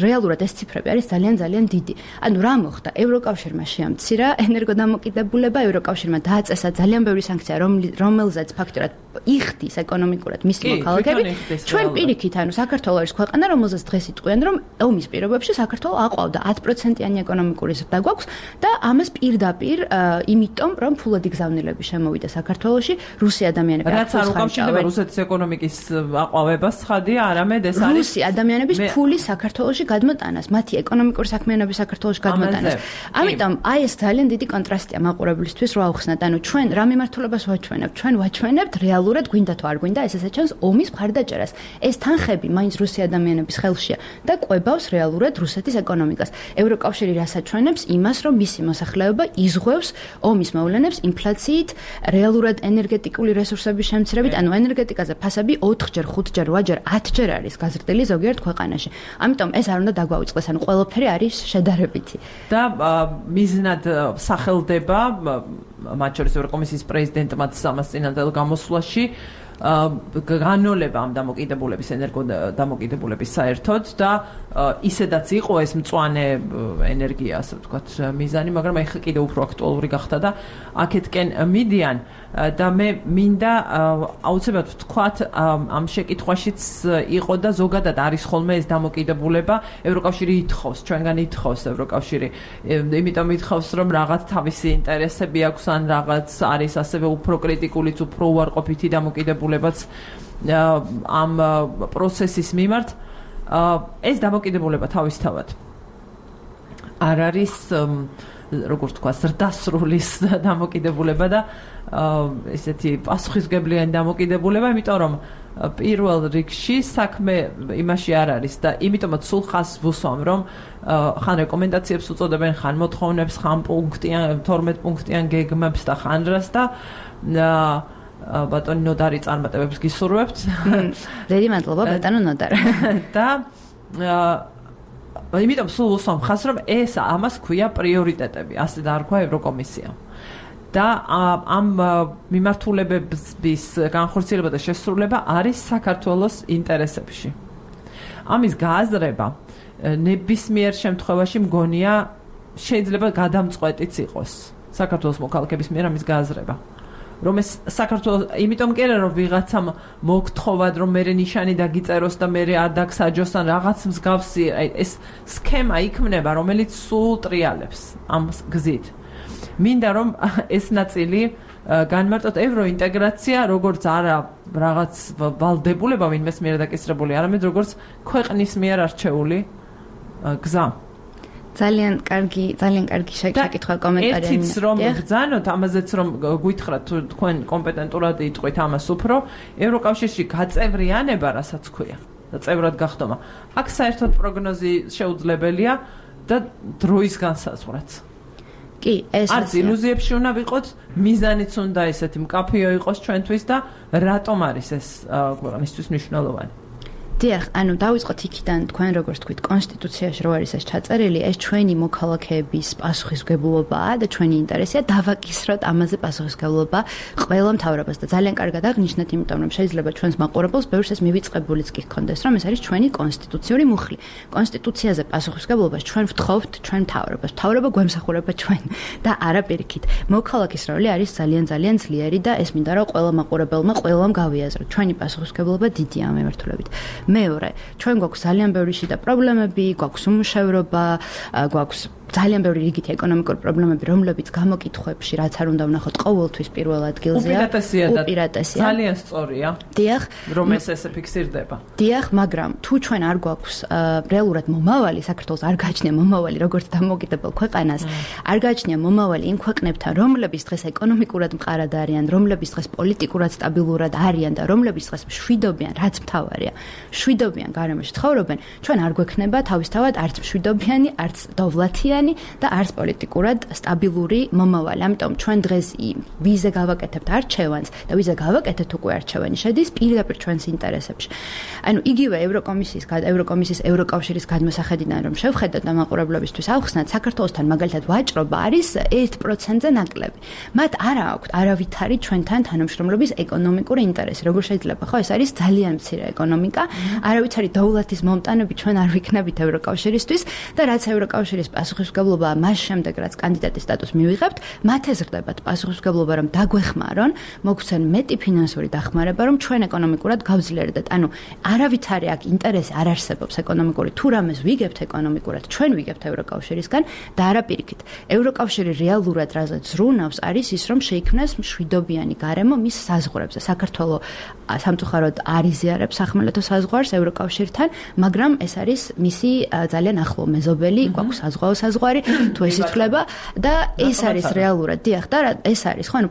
რეალურად ეს ციფრები არის ძალიან დიდი. ანუ რა მოხდა? ევროკავშირმა შეამცირა ენერგოდამოკიდებულება, ევროკავშირმა დააწესა ძალიან ბევრი სანქცია, რომელზეც ფაქტურად იხდის ეკონომიკურად მისი მოქალაქეები. ჩვენ პირიქით, ანუ საქართველო არის ქვეყანა, რომელზეც დღეს იტყვიან, რომ ომის პირობებში საქართველო აყვავდა 10%-იანი ეკონომიკური ზრდა გვაქვს და ამას პირდაპირ იმიტომ, რომ ფულადი გზავნილები შემოვიდა საქართველოში, რუსი ადამიანები რაც არ უკავშირდება რუსეთის ეკონომიკის აყვავებას, ხადია, არამედ ეს არის რუსი ადამიანების ფული საქართველოში გადმოტანას, მათი ეკონომიკური საქმიანობის საქართველოში გადმოტანას. ამიტომ აი ეს ძალიან დიდი კონტრასტია მაყურებლისთვის რა ახსნათ, ანუ ჩვენ რა მიმართულებას ვაჩვენებთ? ჩვენ ვაჩვენებთ რეალურად გვინდა თუ არ გვინდა, ესეც ჩანს ომის მხარდაჭერას. ეს თანხები მაინც რუსი ადამიანების ხელშია და კვებავს რეალურად რუსეთის ეკონომიკას. ევროკავშირი რასაჩვენებს? იმას, რომ მისი მოსახლეობა იზღვევს ომის მოვლენებს ინფლაციით, რეალურად ენერგეტიკული რესურსების შემცირებით, ანუ ენერგეტიკაზე ფასები 4-ჯერ, 5-ჯერ, 8-ჯერ, 10-ჯერ არის გაზრდილი ზოგიერთ ქვეყანაში. ამიტომ ეს არ უნდა დაგვაუწყდეს, ანუ ყველაფერი არის შედარებითი. და მიზნად სახელდება მათ შორის ევროკომისიის პრეზიდენტმაც ამას წინანდელ გამოსვლაში განოლება ამ დამოკიდებულების ენერგოდამოკიდებულების საერთოდ და ისედაც იყო ეს მწვანე ენერგია, ასე ვთქვათ, მიზანი, მაგრამ ეხლა კიდევ უფრო აქტუალური გახდა და აქეთკენ მიდიან და მე მინდა აუცილებლად ვთქვათ ამ შეკითხვაშიც იყო და ზოგადად არის ხოლმე ეს დამოკიდებულება ევროკავშირი ითხოვს, ჩვენგან ითხოვს ევროკავშირი, იმიტომ ითხოვს რომ რაღაც თავისი ინტერესები აქვს ან რაღაც არის ასევე უფრო კრიტიკულიც, უფრო უარყოფითი დამოკიდებულებაც ამ პროცესის მიმართ. ეს დამოკიდებულება თავისთავად არ არის როგორ თქვა ზრდასრულის დამოკიდებულება და ესეთი პასუხისმგებლიანი დამოკიდებულება, იმიტომ რომ პირველ რიგში საქმე იმაში არ არის და იმიტომაც სულ ხაზს ვუსვამ რომ ხან რეკომენდაციებს უწოდებენ, ხან მოთხოვნებს, ხან პუნქტიან 12 პუნქტიან გეგმებს და ხან რას და ბატონი ნოდარი წარმატებებს გისურვებთ. დიდი მადლობა ბატონო ნოდარ. და იმიტომ სულ ვუსვამ ხაზს რომ ეს ამას ქვია პრიორიტეტები, ასე დაარქვა ევროკომისიამ. და ამ მიმართულებების განხორციელება და შესრულება არის საქართველოს ინტერესებში. ამის გააზრება ნებისმიერ შემთხვევაში მგონია შეიძლება გადამწყვეტიც იყოს საქართველოს მოქალაქეების მიერ ამის გააზრება. რომ ეს საქართველოს იმიტომ კი არა რომ ვიღაცამ მოგთხოვად რომ მე ნიშანი დაგიწეროს და მე არ დაგსაჯოს ან რაღაც მსგავსი ეს სქემა იქმნება რომელიც სულ ტრიალებს ამ გზით. მინდა რომ ეს ნაწილი განმარტოთ ევროინტეგრაცია როგორც არა რაღაც ვალდებულება ვინმეს მიერ დაკისრებული, არამედ როგორც ქვეყნის მიერ არჩეული გზა. ძალიან კარგი შეკითხვა კომენტარი. ერთიც რომ გძანოთ ამაზეც რომ გვითხრათ თქვენ კომპეტენტურად იტყვით ამას უფრო ევროკავშირში გაწევრიანება რასაც ქვია და წევრად გახდომა. აქ საერთოდ პროგნოზი შეუძლებელია და დროის განსაზღვრაც. კი, ეს არც ილუზიებში უნდა ვიყოთ, მიზანიც უნდა ესეთი მკაფიო იყოს ჩვენთვის და რატომ არის ეს ქვეყნისთვის მნიშვნელოვანი. დიახ, ანუ დავიწყოთ იქიდან, თქვენ როგორც თქვით, კონსტიტუციაში რო არის ეს ჩაწერილი, ეს ჩვენი მოქალაქეების პასუხისმგებლობაა და ჩვენი ინტერესია დავაკისროთ ამაზე პასუხისმგებლობა ყველა მთავრობას და ძალიან კარგად აღნიშნეთ, იმიტომ რომ შეიძლება ჩვენს მაყურებელს ბევრს ეს მივიწყებულიც კი ჰქონდეს, რომ ეს არის ჩვენი კონსტიტუციური მუხლი. კონსტიტუციაზე პასუხისმგებლობას ჩვენ ვთხოვთ ჩვენ მთავრობას. მთავრობა გვემსახურება ჩვენ და არა პირიქით. მოქალაქის როლი არის ძალიან ძლიერი და ეს მინდა რომ ყველა მაყურებელმა ყველამ გავიაზროთ. ჩვენი პასუხისმგებლობა დიდია ამ მიმართულებით. მეორე, ჩვენ გვაქვს ძალიან ბევრი შიდა პრობლემები, გვაქვს უმუშევრობა, გვაქვს ძალიან ბევრი რიგითი ეკონომიკური პრობლემები, რომლებიც გამოკითხვებში რაც არ უნდა ვნახოთ ყოველთვის პირველ ადგილზეა. უპირატესია. ძალიან სწორია. დიახ, რომ ესე ფიქსირდება. დიახ, მაგრამ თუ ჩვენ არ გვაქვს რეალურად მომავალი, საქართველოს არ გააჩნია მომავალი როგორც დამოუკიდებელ ქვეყანას, არ გააჩნია მომავალი იმ ქვეყნებთან, რომლებიც დღეს ეკონომიკურად მყარად არიან, რომლებიც დღეს პოლიტიკურად სტაბილურად არიან და რომლებიც დღეს მშვიდობიან, რაც მთავარია. მშვიდობიან გარემოში ცხოვრობენ, ჩვენ არ გვექნება თავისთავად არც მშვიდობიანი, არც დოვლათიანი და არც პოლიტიკურად სტაბილური მომავალი. ამიტომ ჩვენ დღეს ვიზე გავაკეთებთ არჩევანს და ვიზე გავაკეთეთ უკვე არჩევანი შედის პირდაპირ ჩვენს ინტერესებში. ანუ იგივე ევროკომისიის ევროკავშირის გადმოსახედიდან რომ შევხედოთ და მაყურებლებისთვის ავხსნათ, საქართველოსთან მაგალითად ვაჭრობა არის 1%-ზე ნაკლები. მათ არა აქვთ არავითარი ჩვენთან თანამშრომლობის ეკონომიკური ინტერესი. როგორ შეიძლება, ხო, ეს არის ძალიან მცირე ეკონომიკა, არავითარი დოვლათის მომტანები ჩვენ არ ვიქნებით ევროკავშირისთვის და რაც ევროკავშირის პასუხისმგებლობა მას შემდეგ რაც კანდიდატის სტატუსს მივიღებთ, მათ ეზრდებათ პასუხისმგებლობა რომ დაგვეხმარონ, მოგცენ მეტი ფინანსური დახმარება რომ ჩვენ ეკონომიკურად გავძლიერდეთ. ანუ არავითარი აქ ინტერესი არ არსებობს ეკონომიკური, თუ რამეს ვიგებთ ეკონომიკურად, ჩვენ ვიგებთ ევროკავშირისგან და არა პირიქით. ევროკავშირი რეალურად რაზეც ზრუნავს არის ის რომ შეიქმნას მშვიდობიანი გარემო მის საზღვრებზე. საქართველო სამწუხაროდ არ იზიარებს სახმელეთო საზღვარს ევროკავშირთან, მაგრამ ეს არის მისი ძალიან ახლო მეზობელი, გვაქვს საზღვაო საზღვარი, თუ ეს ითვლება და ეს არის რეალურად, დიახ, და ეს არის ხო, ანუ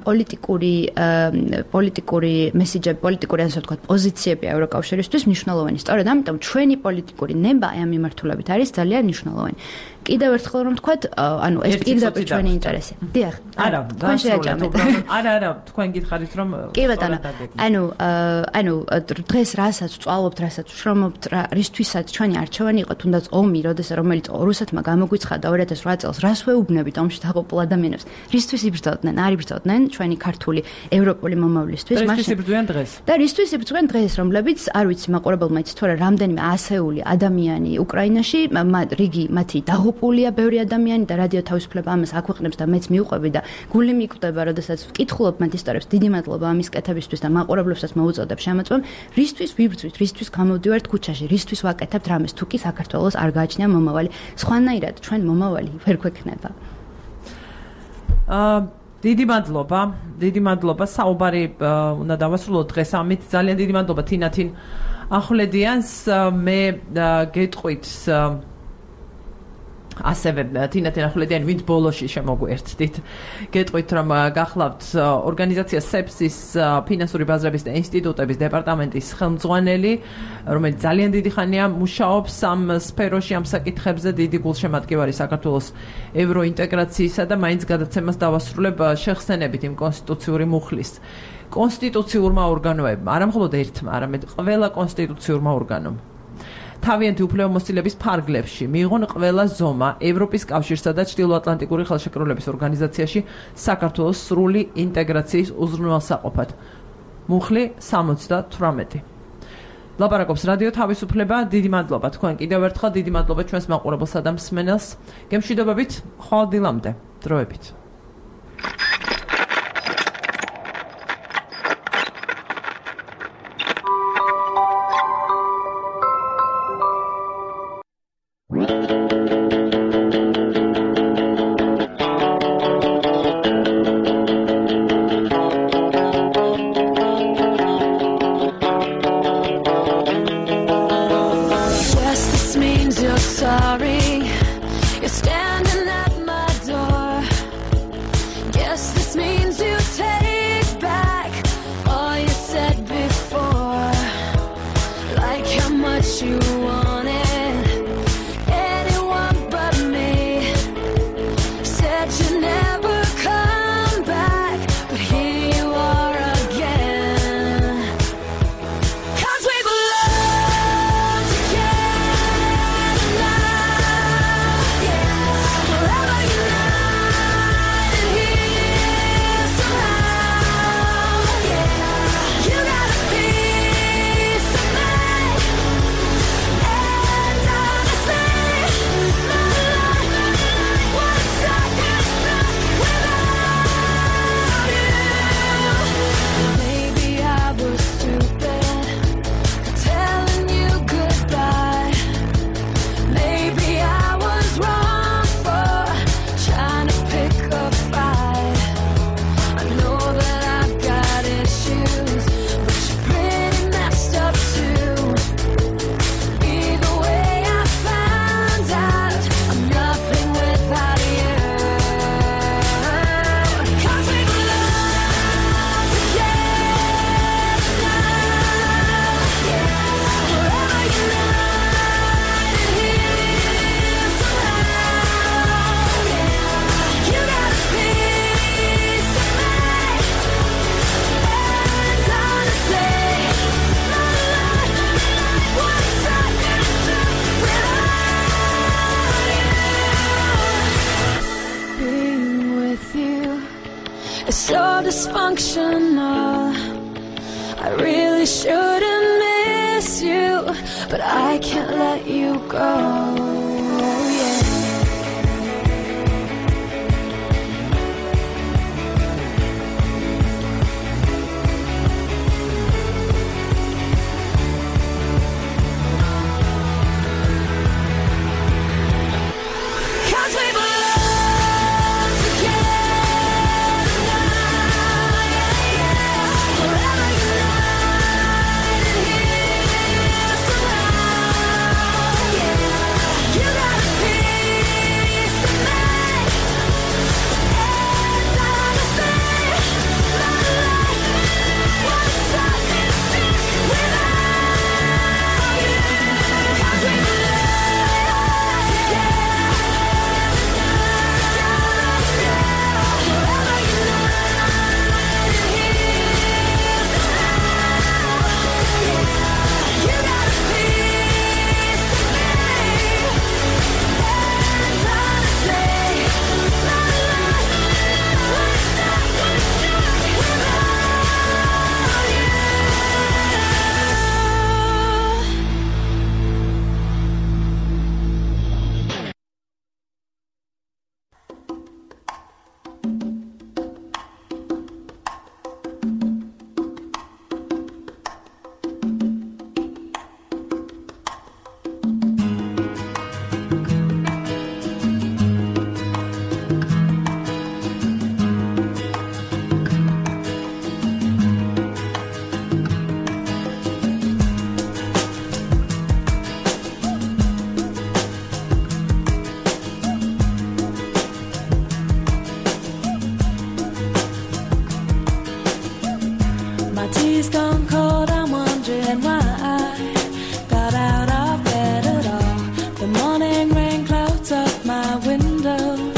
პოლიტიკური მესიჯები, პოლიტიკური ასე ვთქვათ, პოზიციები ევროკავშირისთვის მნიშვნელოვანი. სწორედ ამიტომ ჩვენი პოლიტიკური ნება ამ მიმართულებით არის ძალიან მნიშვნელოვანი. კიდევ ერთხელ რომ თქვათ, ანუ ეს პირდაპირ ჩვენი ინტერესი. დიახ. არა, თქვენ შეაჭამეთ. არა, თქვენ გითხარით რომ კი ბატონო. ანუ დღეს რასაც ვწვალობთ, რასაც ვშრომობთ, რისთვისაც ჩვენი არჩევანი იყო, თუნდაც ომი, რომელიც რუსეთმა გამოგვიცხადა 2008 წელს, რას ვეუბნებით ომში დაყოფილ ადამიანებს? რისთვის იბრძოდნენ? არ იბრძოდნენ ჩვენი ქართული ევროპული მომავლისთვის, მაშინ იბრძვიან დღეს. და რისთვის იბრძვიან დღეს, რომლებიც არ ვიცი, მაყურებელმა იცით თუ არა, რამდენიმე ასეული ადამიანი უკრაინაში, რიგი მათი დაღუპულია, ბევრი ადამიანი და რადიო თავისუფლება ამას აქვეყნებს და მეც მივყვები და გული მიკვდება, როდესაც ვკითხულობ მათ ისტორიებს. დიდი მადლობა ამის კეთებისთვის და მაყურებლებსაც მოუწოდებ შემოწმեմ, რისთვის ვიბრძვით, რისთვის გამოვდივართ ქუჩაში, რისთვის ვაკეთებთ რამეს, თუ კი საქართველოს არ გააჩნია მომავალი. სხვანაირად ჩვენ მომავალი ვერ გვექნება. დიდი მადლობა. საუბარი უნდა დავასრულოთ დღეს ამით. ძალიან დიდი მადლობა თინათინ ახვლედიანს. მე გეტყვით ასევე თინათინ ახვლედიანი, ვინც ბოლოში შემოგვერთდით. გეტყვით რომ გახლავთ ორგანიზაცია SEPS-ის ფინანსური ბაზრების და ინსტიტუტების დეპარტამენტის ხელმძღვანელი, რომელიც ძალიან დიდი ხანია მუშაობს ამ სფეროში, ამ საკითხებზე. დიდი გულშემატკივარი საქართველოს ევროინტეგრაციისა და მაინც გადაცემას დავასრულებ შეხსენებით იმ კონსტიტუციური მუხლის. კონსტიტუციურმა ორგანოებმა, არა მხოლოდ ერთმა, არამედ ყველა კონსტიტუციურმა ორგანომ თავიანთი უფლებამოსილების ფარგლებში მიიღონ ყველა ზომა ევროპის კავშირსა და ჩრდილოატლანტიკური ხელშეკრულების ორგანიზაციაში საქართველოს სრული ინტეგრაციის უზრუნველსაყოფად. მუხლი 78. ლაპარაკობს რადიო თავისუფლება. დიდი მადლობა თქვენ კიდევ ერთხელ, დიდი მადლობა ჩვენს მაყურებელსა და მსმენელს. გემშვიდობებით, ხვალ დილამდე, დროებით. Dysfunctional. I really shouldn't miss you, but I can't let you go. Yeah. window.